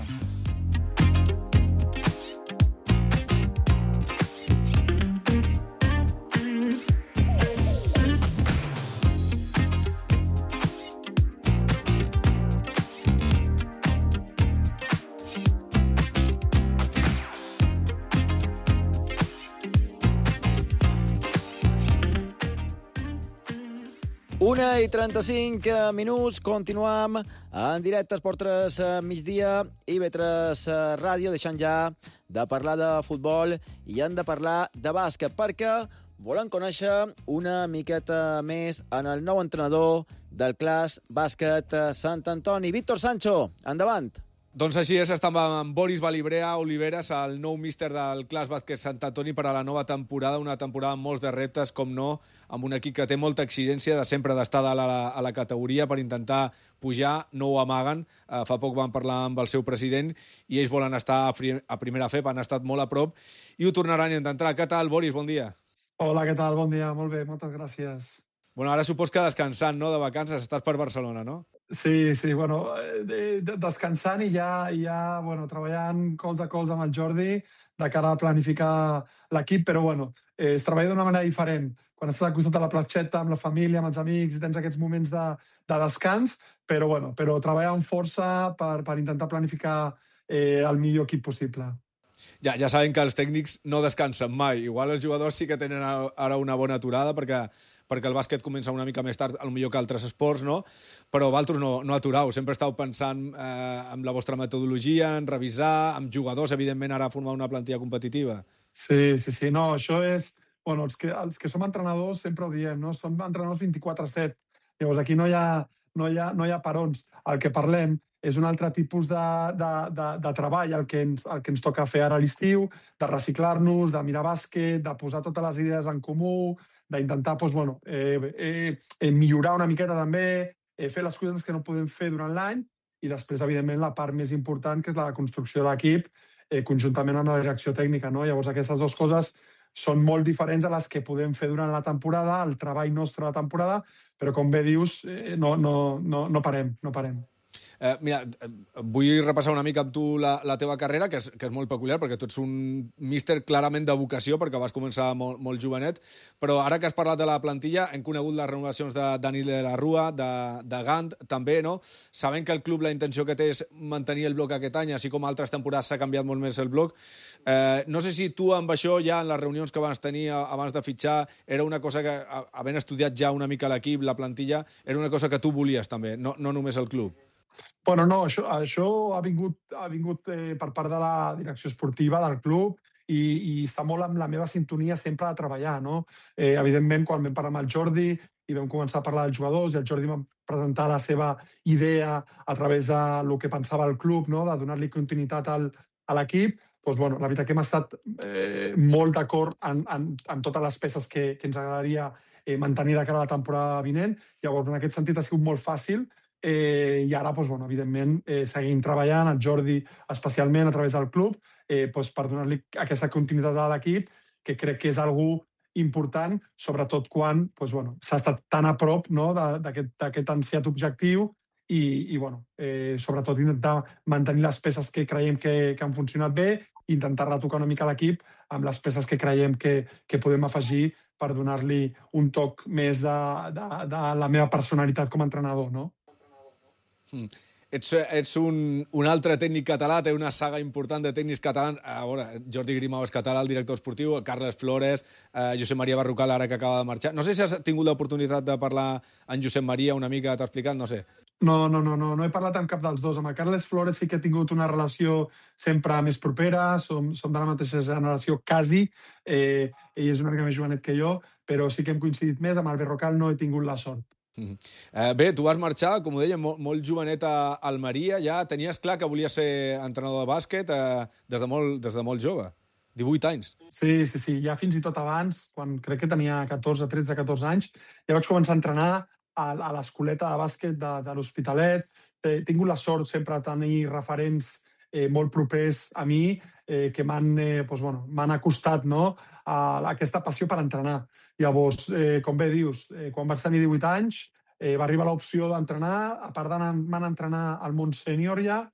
Una i 35 minuts, continuam en directe Esport 3 migdia, IB3 Ràdio, deixant ja de parlar de futbol i hem de parlar de bàsquet, perquè volem conèixer una miqueta més en el nou entrenador del Clas Bàsquet Sant Antoni. Víctor Sancho, endavant. Doncs així és, estem amb Boris Balibrea Oliveres, el nou míster del Clas Bàsquet Sant Antoni per a la nova temporada, una temporada amb molts de reptes, com no, amb un equip que té molta exigència de sempre d'estar a la categoria per intentar pujar, no ho amaguen. Fa poc van parlar amb el seu president i ells volen estar a primera FEP, han estat molt a prop i ho tornaran a intentar. Què tal, Boris? Bon dia. Hola, què tal? Bon dia, molt bé, moltes gràcies. Bueno, ara supos que descansant, no?, de vacances, estàs per Barcelona, no? Sí, bueno, descansant i ja bueno, treballant colze a colze amb el Jordi de cara a planificar l'equip, però bueno, es treballa d'una manera diferent. Quan estàs al costat de la platxeta, amb la família, amb els amics, i tens aquests moments de descans, però treballar amb força per intentar planificar el millor equip possible. Ja saben que els tècnics no descansen mai. Igual els jugadors sí que tenen ara una bona aturada perquè el bàsquet comença una mica més tard, potser que altres esports, no? Però vosaltres no aturau. Sempre estàu pensant en la vostra metodologia, en revisar, amb jugadors, evidentment, ara formar una plantilla competitiva. Sí. No, això és... Bueno, els que som entrenadors sempre ho diem, no? Som entrenadors 24/7. Llavors, aquí no hi ha parons. El que parlem és un altre tipus de treball, el que ens toca fer ara a l'estiu, de reciclar-nos, de mirar bàsquet, de posar totes les idees en comú, d'intentar millorar una miqueta també, fer les coses que no podem fer durant l'any i després, evidentment, la part més important, que és la construcció de l'equip, conjuntament amb la direcció tècnica, no? Llavors, aquestes dues coses són molt diferents a les que podem fer durant la temporada, el treball nostre de la temporada, però, com bé dius, no parem. Mira, vull repassar una mica amb tu la teva carrera, que és molt peculiar, perquè tu ets un míster clarament de vocació, perquè vas començar molt jovenet, però ara que has parlat de la plantilla, hem conegut les renovacions de Dani de la Rua, de Gant, també, no? Sabem que el club la intenció que té és mantenir el bloc aquest any, així com altres temporades s'ha canviat molt més el bloc. No sé si tu amb això ja en les reunions que vas tenir abans de fitxar era una cosa que, havent estudiat ja una mica l'equip, la plantilla, era una cosa que tu volies també, no només el club. Bueno, no, això ha vingut per part de la direcció esportiva del club i està molt amb la meva sintonia sempre de treballar, no? Evidentment, quan vam parlar amb el Jordi i vam començar a parlar dels jugadors i el Jordi va presentar la seva idea a través del que pensava el club, no?, de donar-li continuïtat a l'equip, doncs, bueno, la veritat que hem estat molt d'acord en totes les peces que ens agradaria mantenir de cara a la temporada vinent. Llavors, en aquest sentit ha sigut molt fàcil. I ara, evidentment, seguim treballant, el Jordi especialment a través del club, per donar-li aquesta continuïtat a l'equip, que crec que és algo important, sobretot quan s'ha estat tan a prop d'aquest ansiat objectiu i sobretot intentar mantenir les peces que creiem que han funcionat bé i intentar retocar una mica l'equip amb les peces que creiem que podem afegir per donar-li un toc més de la meva personalitat com a entrenador, no? Ets un altre tècnic català, té una saga important de tècnics catalans. Jordi Grimau és català, el director esportiu, Carles Flores, Josep Maria Barrucal, ara que acaba de marxar. No sé si has tingut l'oportunitat de parlar amb Josep Maria una mica, t'ha explicat, no sé. No he parlat amb cap dels dos. Amb el Carles Flores sí que he tingut una relació sempre més propera, som de la mateixa generació quasi, ell és una mica més jovenet que jo, però sí que hem coincidit més. Amb el Barrucal no he tingut la sort. Bé, tu vas marxar, com ho deia, molt jovenet a Almeria, ja tenies clar que volies ser entrenador de bàsquet des de molt jove, 18 anys. Sí, ja fins i tot abans, quan crec que tenia 13-14 anys, ja vaig començar a entrenar a l'escoleta de bàsquet de l'Hospitalet. He tingut la sort sempre de tenir referents molt propers a mi que m'han acostat a aquesta passió per entrenar. Llavors, com bé dius, quan vaig tenir 18 anys va arribar l'opció d'entrenar, a part d'anar a entrenar al món sènior ja,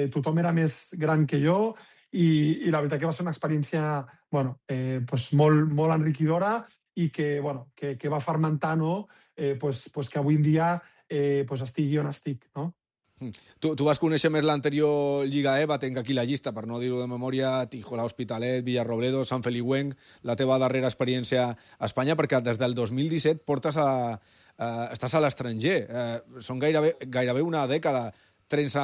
tothom era més gran que jo i la veritat que va ser una experiència molt enriquidora i que va fermentar que avui en dia estigui on estic, no? Tu vas conèixer més l'anterior Lliga EVA, tinc aquí la llista, per no dir-ho de memòria, Tijola, Hospitalet, Villarrobledo, Sant Feliuenc, la teva darrera experiència a Espanya, perquè des del 2017 estàs a l'estranger. Són gairebé una dècada, 3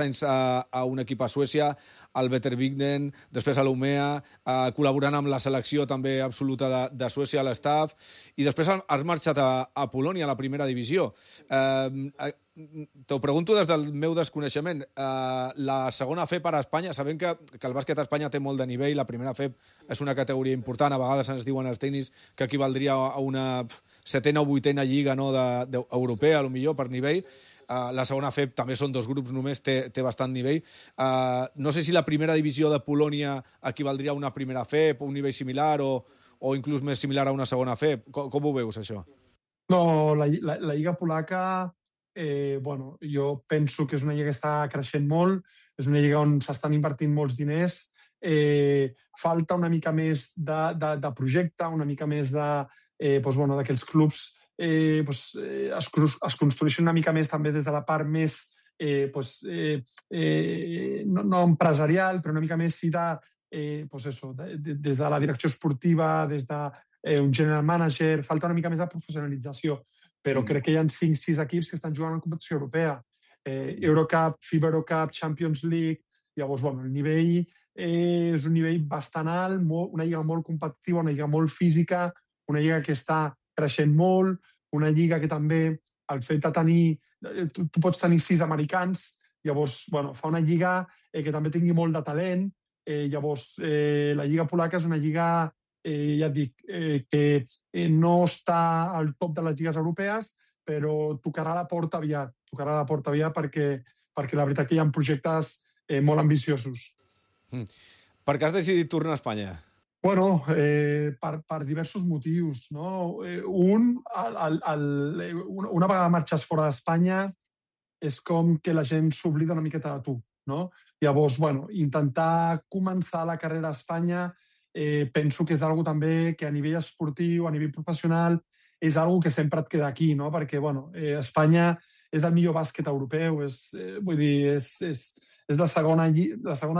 anys a un equip a Suècia, al Vetervigden, després a l'Umea, col·laborant amb la selecció també absoluta de Suècia, a l'estaf, i després has marxat a Polònia, a la primera divisió. T'ho pregunto des del meu desconeixement. La segona FEP a Espanya, sabem que el bàsquet a Espanya té molt de nivell, la primera FEP és una categoria important, a vegades ens diuen els tècnics que equivaldria a una 7a o 8a lliga europea, potser per nivell. La segona FEP també són 2 grups només, té bastant nivell. No sé si la primera divisió de Polònia equivaldria a una primera FEP, un nivell similar o inclús més similar a una segona FEP. Com ho veus, això? No, la Lliga polaca, jo penso que és una lliga que està creixent molt, és una lliga on s'estan invertint molts diners, falta una mica més de projecte, una mica més que els clubs es construeixen una mica més també des de la part més no empresarial, però una mica més des de la direcció esportiva, des d'un general manager, falta una mica més de professionalització, però crec que hi ha 5-6 equips que estan jugant en competició europea. Eurocup, FIBA Eurocup, Champions League. Llavors, el nivell és un nivell bastant alt, una lliga molt competitiva, una lliga molt física, una lliga que està creixent molt, una lliga que també, el fet de tenir... Tu pots tenir 6 americans, llavors fa una lliga que també tingui molt de talent. Llavors, la lliga polaca és una lliga, ja et dic, que no està al top de les lligues europees, però tocarà la porta aviat perquè la veritat que hi ha projectes molt ambiciosos. Per què has decidit tornar a Espanya? Per diversos motius, no? Una vegada marxes fora d'Espanya és com que la gent s'oblida una miqueta de tu, no? Llavors, intentar començar la carrera a Espanya penso que és algo també que a nivell esportiu, a nivell professional, és algo que sempre et queda aquí, no? Perquè, Espanya és el millor bàsquet europeu, és la segona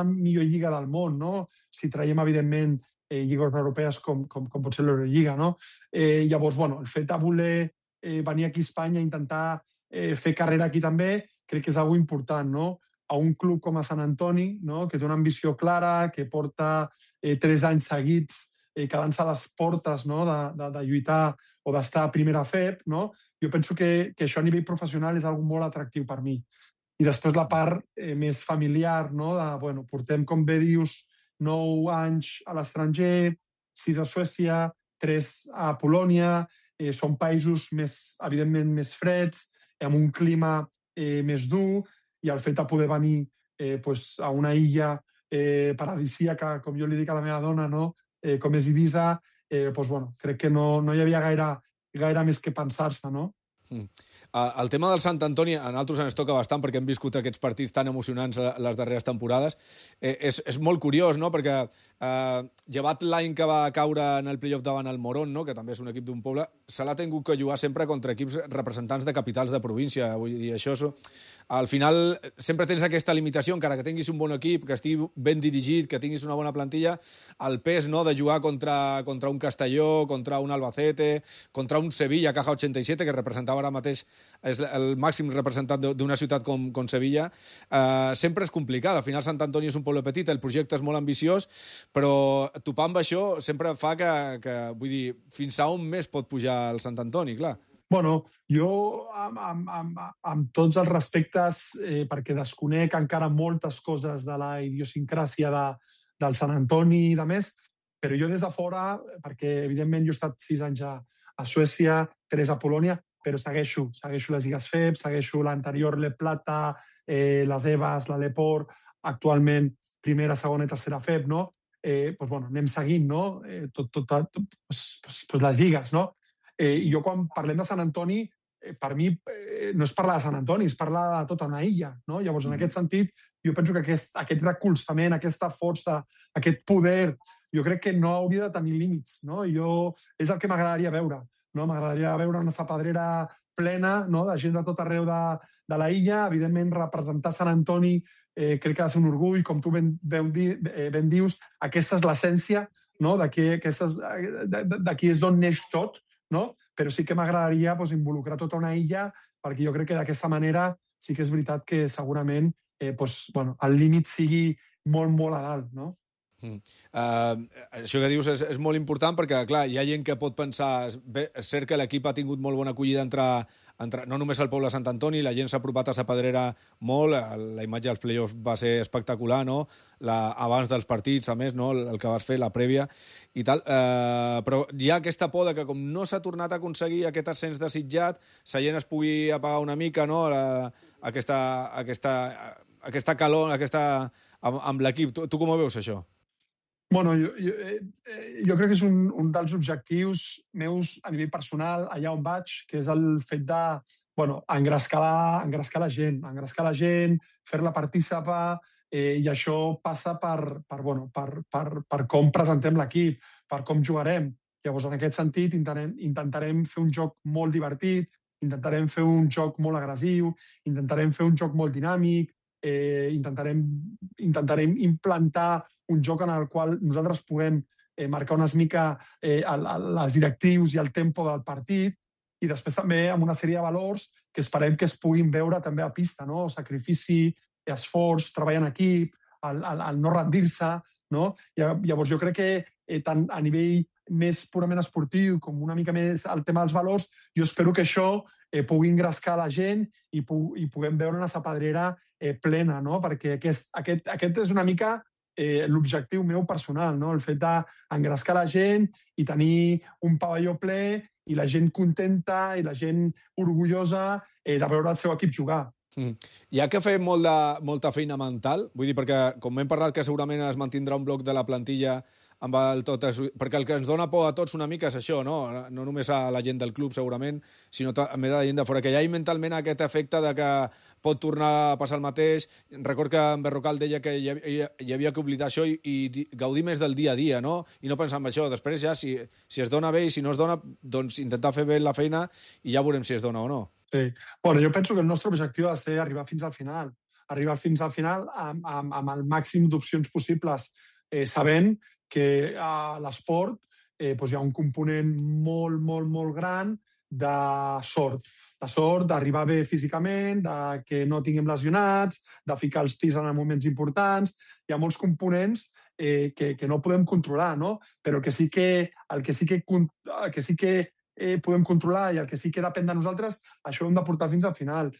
millor lliga del món, no? Si traiem, evidentment, lligues europees com pot ser l'Eurolliga, no? Llavors, el fet de voler venir aquí a Espanya i intentar fer carrera aquí també, crec que és algo important, no? A un club com a Sant Antoni, no? Que té una ambició clara, que porta 3 anys seguits quedant-se a les portes, no? de lluitar o d'estar a primera FEP, no? Jo penso que això a nivell professional és algo molt atractiu per mi. I després la part més familiar, no? Portem, com bé dius, 9 anys a l'estranger, 6 a Suècia, 3 a Polònia, són països evidentment més freds, amb un clima més dur, i el fet de poder venir a una illa paradisíaca, com jo li dic a la meva dona, no? Com és Ibiza, crec que no hi havia gaire més que pensar-se, no? El tema del Sant Antoni a nosaltres ens toca bastant perquè hem viscut aquests partits tan emocionants les darreres temporades. És molt curiós, no? Perquè llevat l'any que va caure en el playoff davant el Morón, no? Que també és un equip d'un poble, se l'ha tingut que jugar sempre contra equips representants de capitals de província. Vull dir, això al final sempre tens aquesta limitació, encara que tinguis un bon equip, que estigui ben dirigit, que tinguis una bona plantilla, el pes, no?, de jugar contra un Castelló, contra un Albacete, contra un Sevilla, Caja 87, que representava ara mateix, és el màxim representant d'una ciutat com Sevilla, sempre és complicat. Al final Sant Antoni és un poble petit, el projecte és molt ambiciós, però topar amb això sempre fa que vull dir, fins a on més pot pujar el Sant Antoni, clar. Bueno, jo amb tots els respectes, perquè desconec encara moltes coses de la idiosincràsia del Sant Antoni i de més, però jo des de fora, perquè evidentment jo he estat 6 anys a Suècia, 3 a Polònia, però segueixo les lligues FEB, segueixo l'anterior Le Plata, les EVAs, la Leport, actualment primera, segona i tercera FEB, no? Doncs, bueno, anem seguint, no? Les lligues, no? Jo quan parlem de Sant Antoni, per mi no és parlar de Sant Antoni, és parlar de tota una illa, no? Llavors, en aquest sentit, jo penso que aquest recolzament, aquesta força, aquest poder, jo crec que no hauria de tenir límits, no? És el que m'agradaria veure, no? M'agradaria veure una sapadrera plena, no? De gent de tot arreu de la illa. Evidentment, representar Sant Antoni crec que ha de ser un orgull, com tu ben dius, aquesta és l'essència, no? D'aquí és d'on neix tot, no? Però sí que m'agradaria involucrar tota una illa, perquè jo crec que d'aquesta manera sí que és veritat que segurament el límit sigui molt, molt a dalt, no? Això que dius és molt important perquè, clar, hi ha gent que pot pensar... Bé, és cert que l'equip ha tingut molt bona acollida entre no només al poble de Sant Antoni, la gent s'ha apropat a Sa Pedrera molt, la imatge dels play-offs va ser espectacular, no? Abans dels partits, a més, no? El que vas fer, la prèvia i tal, però hi ha aquesta por que com no s'ha tornat a aconseguir aquest ascens desitjat, la gent es pugui apagar una mica, no? Aquesta calor amb l'equip. Tu com ho veus, això? Bueno, jo crec que és un dels objectius meus a nivell personal, allà on vaig, que és el fet de engrescar la gent, fer-la partícipa, i això passa per com presentem l'equip, per com jugarem. Llavors, en aquest sentit, intentarem fer un joc molt divertit, intentarem fer un joc molt agressiu, intentarem fer un joc molt dinàmic, intentarem implantar un joc en el qual nosaltres puguem marcar una mica les directrius i el tempo del partit, i després també amb una sèrie de valors que esperem que es puguin veure també a pista, no? Sacrifici, esforç, treball en equip, el no rendir-se, no? Llavors jo crec que tant a nivell més purament esportiu com una mica més el tema dels valors, jo espero que això pugui engrescar la gent i puguem veure una sapadrera plena, no? Perquè aquest és una mica l'objectiu meu personal, no? El fet d'engrescar la gent i tenir un pavelló ple i la gent contenta i la gent orgullosa de veure el seu equip jugar. Hi ha que fer molta feina mental, vull dir, perquè com hem parlat que segurament es mantindrà un bloc de la plantilla amb el tot, perquè el que ens dona por a tots una mica és això, no? No només a la gent del club, segurament, sinó també a la gent de fora, que hi ha mentalment aquest efecte de que pot tornar a passar el mateix. Record que en Berrocal deia que hi havia que oblidar això i gaudir més del dia a dia, no? I no pensar en això. Després ja, si es dona bé i si no es dona, doncs intentar fer bé la feina i ja veurem si es dona o no. Sí. Bueno, jo penso que el nostre objectiu ha de ser arribar fins al final. Arribar fins al final amb el màxim d'opcions possibles, sabent que a l'esport hi ha un component molt, molt, molt gran de sort, d'arribar bé físicament, de que no tinguem lesionats, de ficar els tirs en moments importants. Hi ha molts components que no podem controlar, no? Però el que sí que podem controlar i el que sí que depèn de nosaltres, això ho hem de portar fins al final.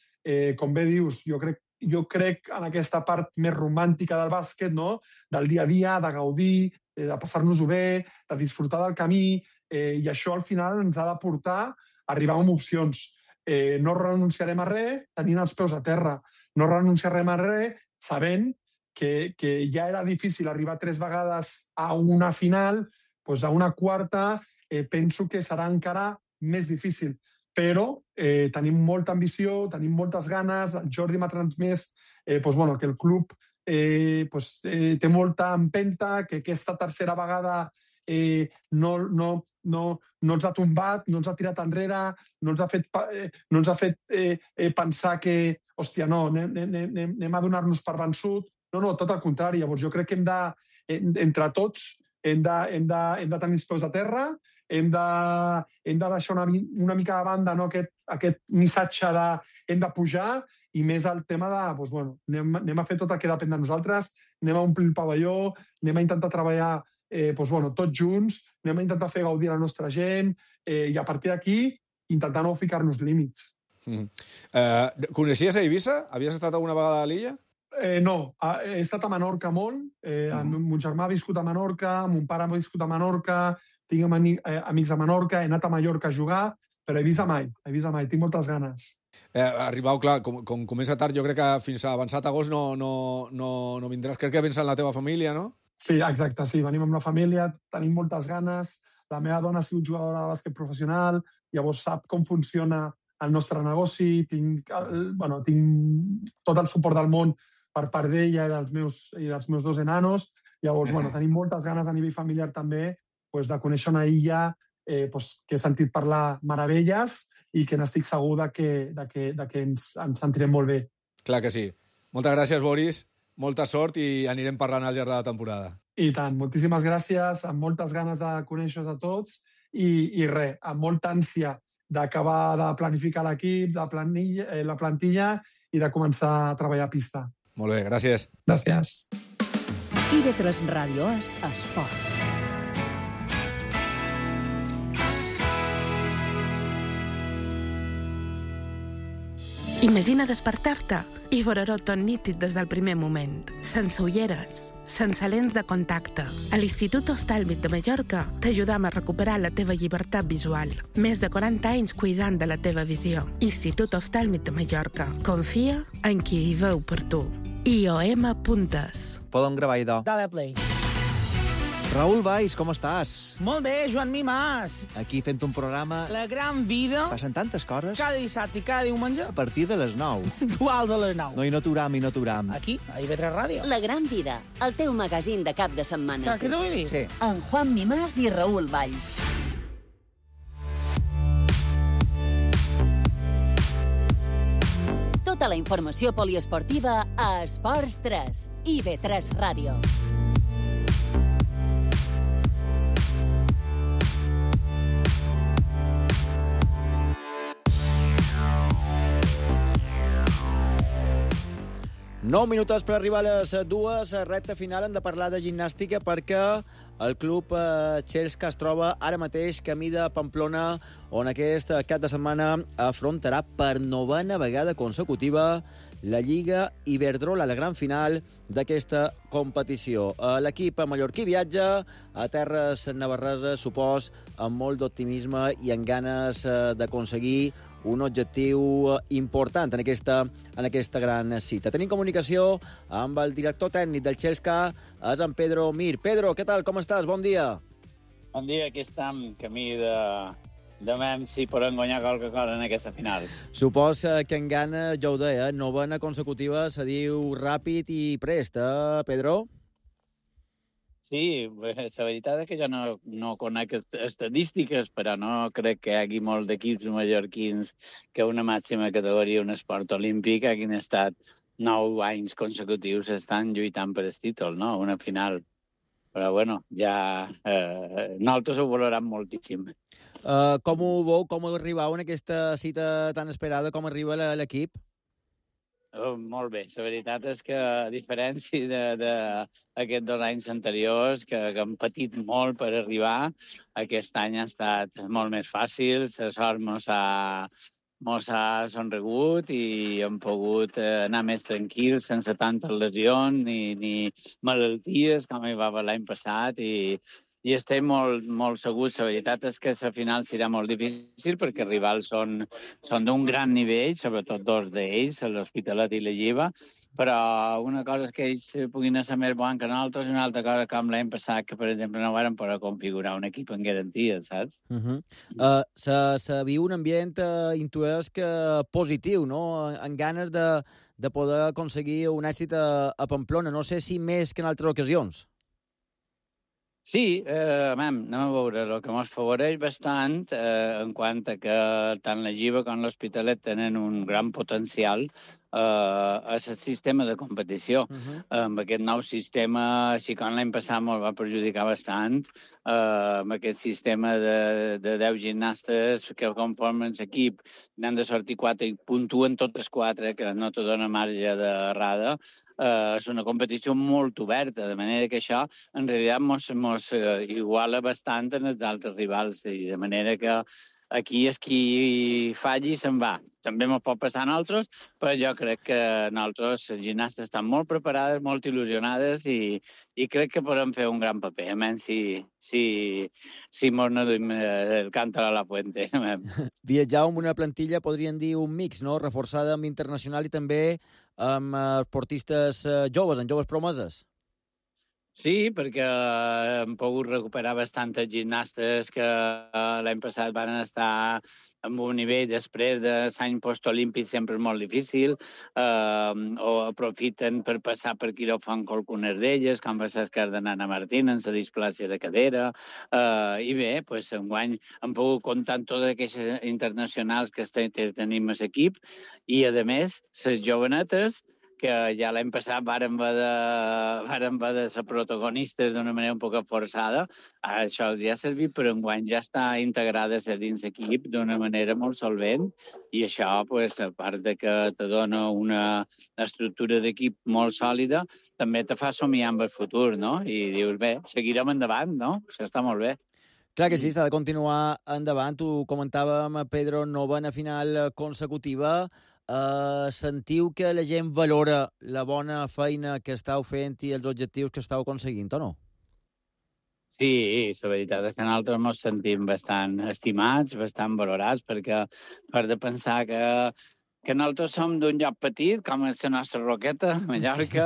Com bé dius, jo crec en aquesta part més romàntica del bàsquet, no? Del dia a dia, de gaudir, de passar-nos-ho bé, de disfrutar del camí, i això al final ens ha de portar a arribar amb opcions. No renunciarem a res tenint els peus a terra. No renunciarem a res sabent que ja era difícil arribar 3 vegades a una final, doncs a una quarta penso que serà encara més difícil. Però tenim molta ambició, tenim moltes ganes. El Jordi m'ha transmès que el club té molta empenta, que aquesta tercera vegada no ens ha tombat, no ens ha tirat enrere, no ens ha fet pensar que, hòstia, no, anem a donar-nos per vençut. No, tot el contrari. Llavors jo crec que entre tots hem de tenir els peus a terra, hem de deixar una mica de banda, no, aquest missatge de hem de pujar, i més el tema de anem a fer tot el que depèn de nosaltres, anem a omplir el pavelló, anem a intentar treballar tots junts, anem a intentar fer gaudir la nostra gent, i a partir d'aquí intentar no ficar-nos límits. Coneixies a Eivissa? Havies estat alguna vegada a l'illa? No, he estat a Menorca molt. Mon germà ha viscut a Menorca, mon pare ha viscut a Menorca, tinc amics a Menorca, he anat a Mallorca a jugar, però a Eivissa mai, tinc moltes ganes. Arribau, clar, com comença tard, jo crec que fins a avançat agost no vindràs. Crec que vens amb la teva família, no? Sí, exacte, sí. Venim amb la família, tenim moltes ganes. La meva dona ha sigut jugadora de bàsquet professional, llavors sap com funciona el nostre negoci, tinc tot el suport del món per part d'ella i dels meus dos enanos. Llavors, tenim moltes ganes a nivell familiar també de conèixer una illa que he sentit parlar meravelles i que n'estic segur que ens sentirem molt bé. Clar que sí. Moltes gràcies, Boris. Molta sort i anirem parlant al llarg de la temporada. I tant. Moltíssimes gràcies. Amb moltes ganes de conèixer-vos a tots i res, amb molta ànsia d'acabar de planificar l'equip, la plantilla i de començar a treballar a pista. Molt bé, gràcies. Gràcies. IB3 Ràdio és esport. Imagina despertar-te i veure-ho tot nítid des del primer moment, sense ulleres, sense lents de contacte. A l'Institut Oftàlmic de Mallorca t'ajudam a recuperar la teva llibertat visual. Més de 40 anys cuidant de la teva visió. Institut Oftàlmic de Mallorca. Confia en qui hi veu per tu. IOM.es. Podem gravar idò. Dale play. Raül Valls, com estàs? Molt bé, Joan Mimàs. Aquí fent un programa... La gran vida. Passen tantes coses. Cada dissabte i cada diumenge. A partir de les 9. Duals a les 9. No, i no t'uram. Aquí, a IB3 Ràdio. La gran vida, el teu magazín de cap de setmana. Saps què t'ho vull dir? Sí. En Juan Mimàs i Raül Valls. Tota la informació poliesportiva a Esports 3. IB3 Ràdio. Nou minuts per arribar a les 2, recta final. Hem de parlar de gimnàstica perquè el club Txelska es troba ara mateix camí de Pamplona, on aquest cap de setmana afrontarà per 9a vegada consecutiva la Lliga Iberdrola, la gran final d'aquesta competició. L'equip mallorquí viatja a terres navarreses, supos, amb molt d'optimisme i amb ganes d'aconseguir un objectiu important en aquesta gran cita. Tenim comunicació amb el director tècnic del Txelska, és en Pedro Mir. Pedro, què tal? Com estàs? Bon dia. Bon dia, aquí estem, camí de demà si podem guanyar qualque cosa en aquesta final. Supos que en gana, ja ho deia, 9a consecutiva se diu ràpid i prest, Pedro? Sí, la veritat és que jo no conec estadístiques, però no crec que hi hagi molt d'equips mallorquins que una màxima categoria, un esport olímpic, hagin estat 9 anys consecutius estan lluitant per el títol, no? Una final. Però, bueno, ja nosaltres ho valorem moltíssim. Com ho veu? Com arribau en aquesta cita tan esperada? Com arriba l'equip? Molt bé. La veritat és que, a diferència d'aquests 2 anys anteriors, que hem patit molt per arribar, aquest any ha estat molt més fàcil, la sort mos ha sonregut i hem pogut anar més tranquils, sense tantes lesions ni malalties, com hi va haver l'any passat, i estem molt segurs. La veritat és que la final serà molt difícil perquè els rivals són d'un gran nivell, sobretot 2 d'ells, l'Hospitalet i la Lliva, però una cosa és que ells puguin ser més bons que nosaltres i una altra cosa com l'any passat, que per exemple no varen poder configurar un equip en garantia, saps? Se viu un ambient, intueix que positiu, no? En ganes de poder aconseguir un èxit a Pamplona. No sé si més que en altres ocasions. Sí, anem a veure. El que ens favoreix bastant en quant a que tant la Lliva com l'Hospitalet tenen un gran potencial és el sistema de competició. Amb aquest nou sistema, així com l'any passat me'l va perjudicar bastant, amb aquest sistema de 10 gimnastes que conformen l'equip, n'han de sortir 4 i puntuen totes 4, que no te dona marge d'errada. És una competició molt oberta, de manera que això en realitat mos iguala bastant en els altres rivals, i de manera que aquí és qui falli i se'n va. També ens pot passar a nosaltres, però jo crec que nosaltres, les gimnastes, estan molt preparades, molt il·lusionades i crec que podem fer un gran paper, almenys si mos no duim el cántaro a la fuente. Viatjar amb una plantilla, podríem dir, un mix, no? Reforçada amb internacional i també amb esportistes joves, amb joves promeses. Sí, perquè hem pogut recuperar bastantes gimnastes que l'any passat van estar en un nivell després de l'any postolímpic sempre molt difícil, o aprofiten per passar per quiròfan qualcunes d'elles, com va ser el cas de Nana Martín en la displàcia de cadera, i bé, doncs, enguany hem pogut comptar amb totes aquestes internacionals que tenim a l'equip, i a més, les jovenetes, que ja l'any passat varen haver de ser protagonistes d'una manera un poc forçada, això els ha servit, però enguany ja està integrada dins l'equip d'una manera molt solvent, i això, pues, a part de que te dona una estructura d'equip molt sòlida, també te fa somiar amb el futur, no? I dius, bé, seguirem endavant, no? Això està molt bé. Clar que sí, s'ha de continuar endavant. Tu comentàvem, Pedro, novena final consecutiva. Sentiu que la gent valora la bona feina que estàu fent i els objectius que estàu aconseguint, o no? Sí, la veritat és que nosaltres ens sentim bastant estimats, bastant valorats, perquè has de pensar que nosaltres som d'un lloc petit, com és la nostra Roqueta, Mallorca,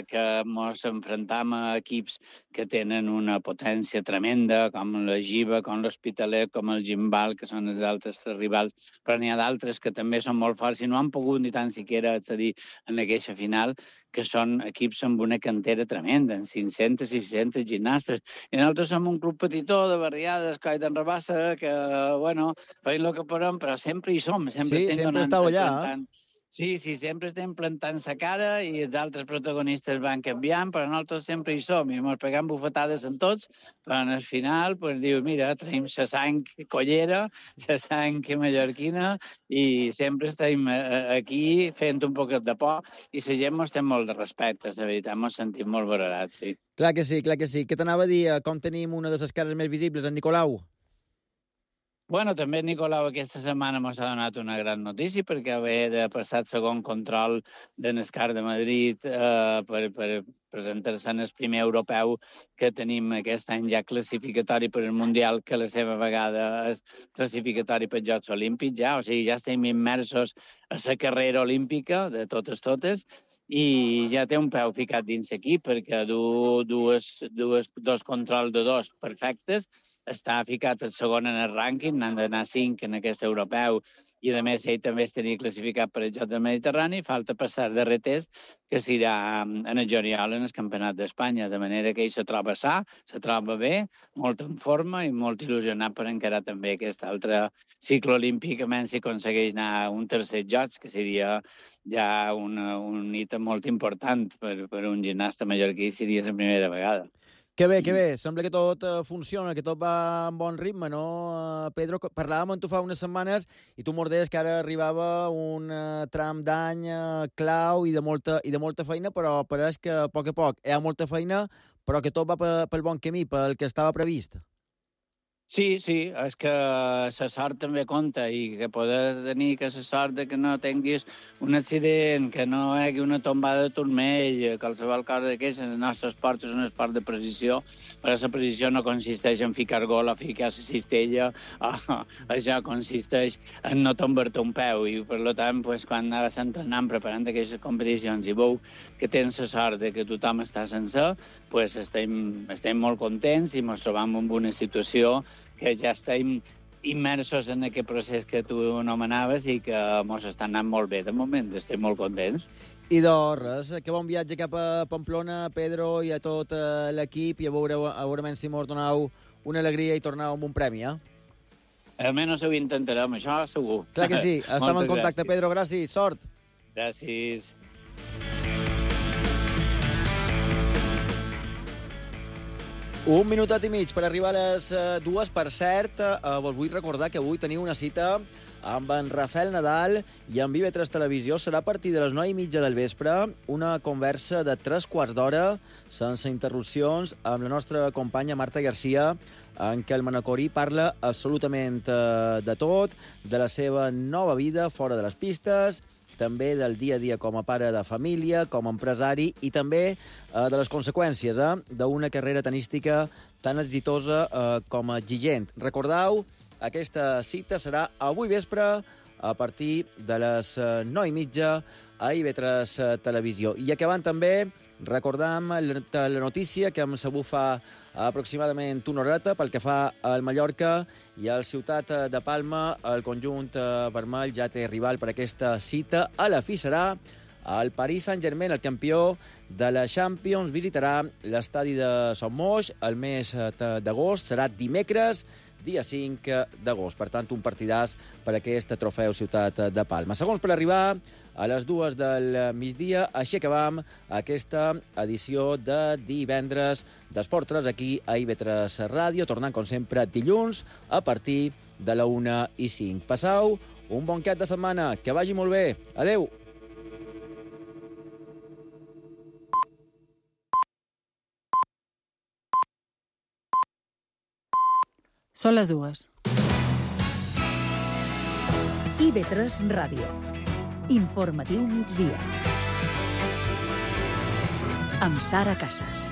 que ens enfrontam a equips que tenen una potència tremenda, com la Giva, com l'Hospitalet, com el Gimbal, que són els altres rivals, però n'hi ha d'altres que també són molt forts i no han pogut ni tan siquiera accedir en aquesta final, que són equips amb una cantera tremenda, amb 500, 600 gimnastes. I nosaltres som un club petitó de barriades, Coll d'en Rabassa, que, bueno, feim el que podem, però sempre hi som, sempre estem donant. Estàu allà. Sí, sempre estem plantant la cara i els altres protagonistes van canviant, però nosaltres sempre hi som i ens pegam bufetades en tots, però al final pues, dius, mira, tenim la sang collera, la sang mallorquina i sempre estem aquí fent un poquet de por i la gent ens té molt de respecte, la veritat, ens sentim molt valorats, sí. Clar que sí, clar que sí. Què t'anava a dir? Com tenim una de les cares més visibles, en Nicolau? Bueno, també Nicolau aquesta setmana ens ha donat una gran notícia perquè haver de passar el segon control de Nescar de Madrid per presentar-se en el primer europeu que tenim aquest any ja classificatori per al Mundial, que la seva vegada és classificatori per als Jocs Olímpics, ja. O sigui, ja estem immersos a la carrera olímpica de totes, i ja té un peu ficat dins l'equip perquè dos controls de dos perfectes, està ficat el segon en el rànquing, n'han d'anar 5 en aquest europeu, i a més ell també es tenia classificat per el Joc del Mediterrani, falta passar el darrer test, que serà en el juliol en el Campionat d'Espanya, de manera que ell se troba sa, se troba bé, molt en forma i molt il·lusionat per encarar també aquest altre cicle olímpic, a menys si aconsegueix anar a un tercer Jocs, que seria ja un hit molt important per un gimnasta mallorquí, seria la primera vegada. Que bé. Sembla que tot funciona, que tot va en bon ritme, no, Pedro? Parlàvem amb tu fa unes setmanes i tu mordes que ara arribava un tram d'any clau i de molta feina, però pareix que a poc hi ha molta feina, però que tot va pel bon camí, pel que estava previst. Sí, és que la sort també compta i que poder tenir la sort de que no tinguis un accident, que no hi hagi una tombada de turmell, qualsevol cosa d'aquesta. El nostre esport és un esport de precisió, però la precisió no consisteix en ficar gol o ficar la cistella, això consisteix en no tombar-te un peu i, per tant, quan anaves entrenant preparant aquestes competicions i veu que tens la sort de que tothom està sencer, estem molt contents i ens trobam en una situació que ja estem immersos en aquest procés que tu anomenaves i que ens està anant molt bé de moment, estem molt contents. I res, que bon viatge cap a Pamplona, Pedro, i a tot l'equip, i a veure si mos donau una alegria i tornau amb un premi, Almenys ho intentarem, això segur. Clar que sí, estem en contacte, Pedro, gràcies, sort. Gràcies. Un minutet i mig per arribar a les 2. Per cert, vos vull recordar que avui teniu una cita amb en Rafael Nadal i amb IB3 Televisió. Serà a partir de les 9:30 del vespre, una conversa de 3/4 d'hora, sense interrupcions, amb la nostra companya Marta Garcia, en què el manacorí parla absolutament de tot, de la seva nova vida fora de les pistes, també del dia a dia com a pare de família, com a empresari, i també de les conseqüències d'una carrera tenística tan exitosa com exigent. Recordeu, aquesta cita serà avui vespre a partir de les 9:30 a IB3 Televisió. I acabant també, recordam la notícia que hem sabut fa aproximadament una horeta pel que fa al Mallorca i al Ciutat de Palma. El conjunt vermell ja té rival per aquesta cita. A la fi serà el Paris Saint-Germain, el campió de la Champions, visitarà l'estadi de Son Moix el mes d'agost. Serà dimecres, dia 5 d'agost. Per tant, un partidàs per aquest trofeu Ciutat de Palma. Segons per arribar a les 2 del migdia. Així acabam aquesta edició de divendres d'Esport 3 aquí a IB3 Ràdio, tornant, com sempre, dilluns a partir de la 1:05. Passau un bon cap de setmana, que vagi molt bé. Adeu! Són les 2. IB3 Ràdio. Informatiu migdia. Amb Sara Casas.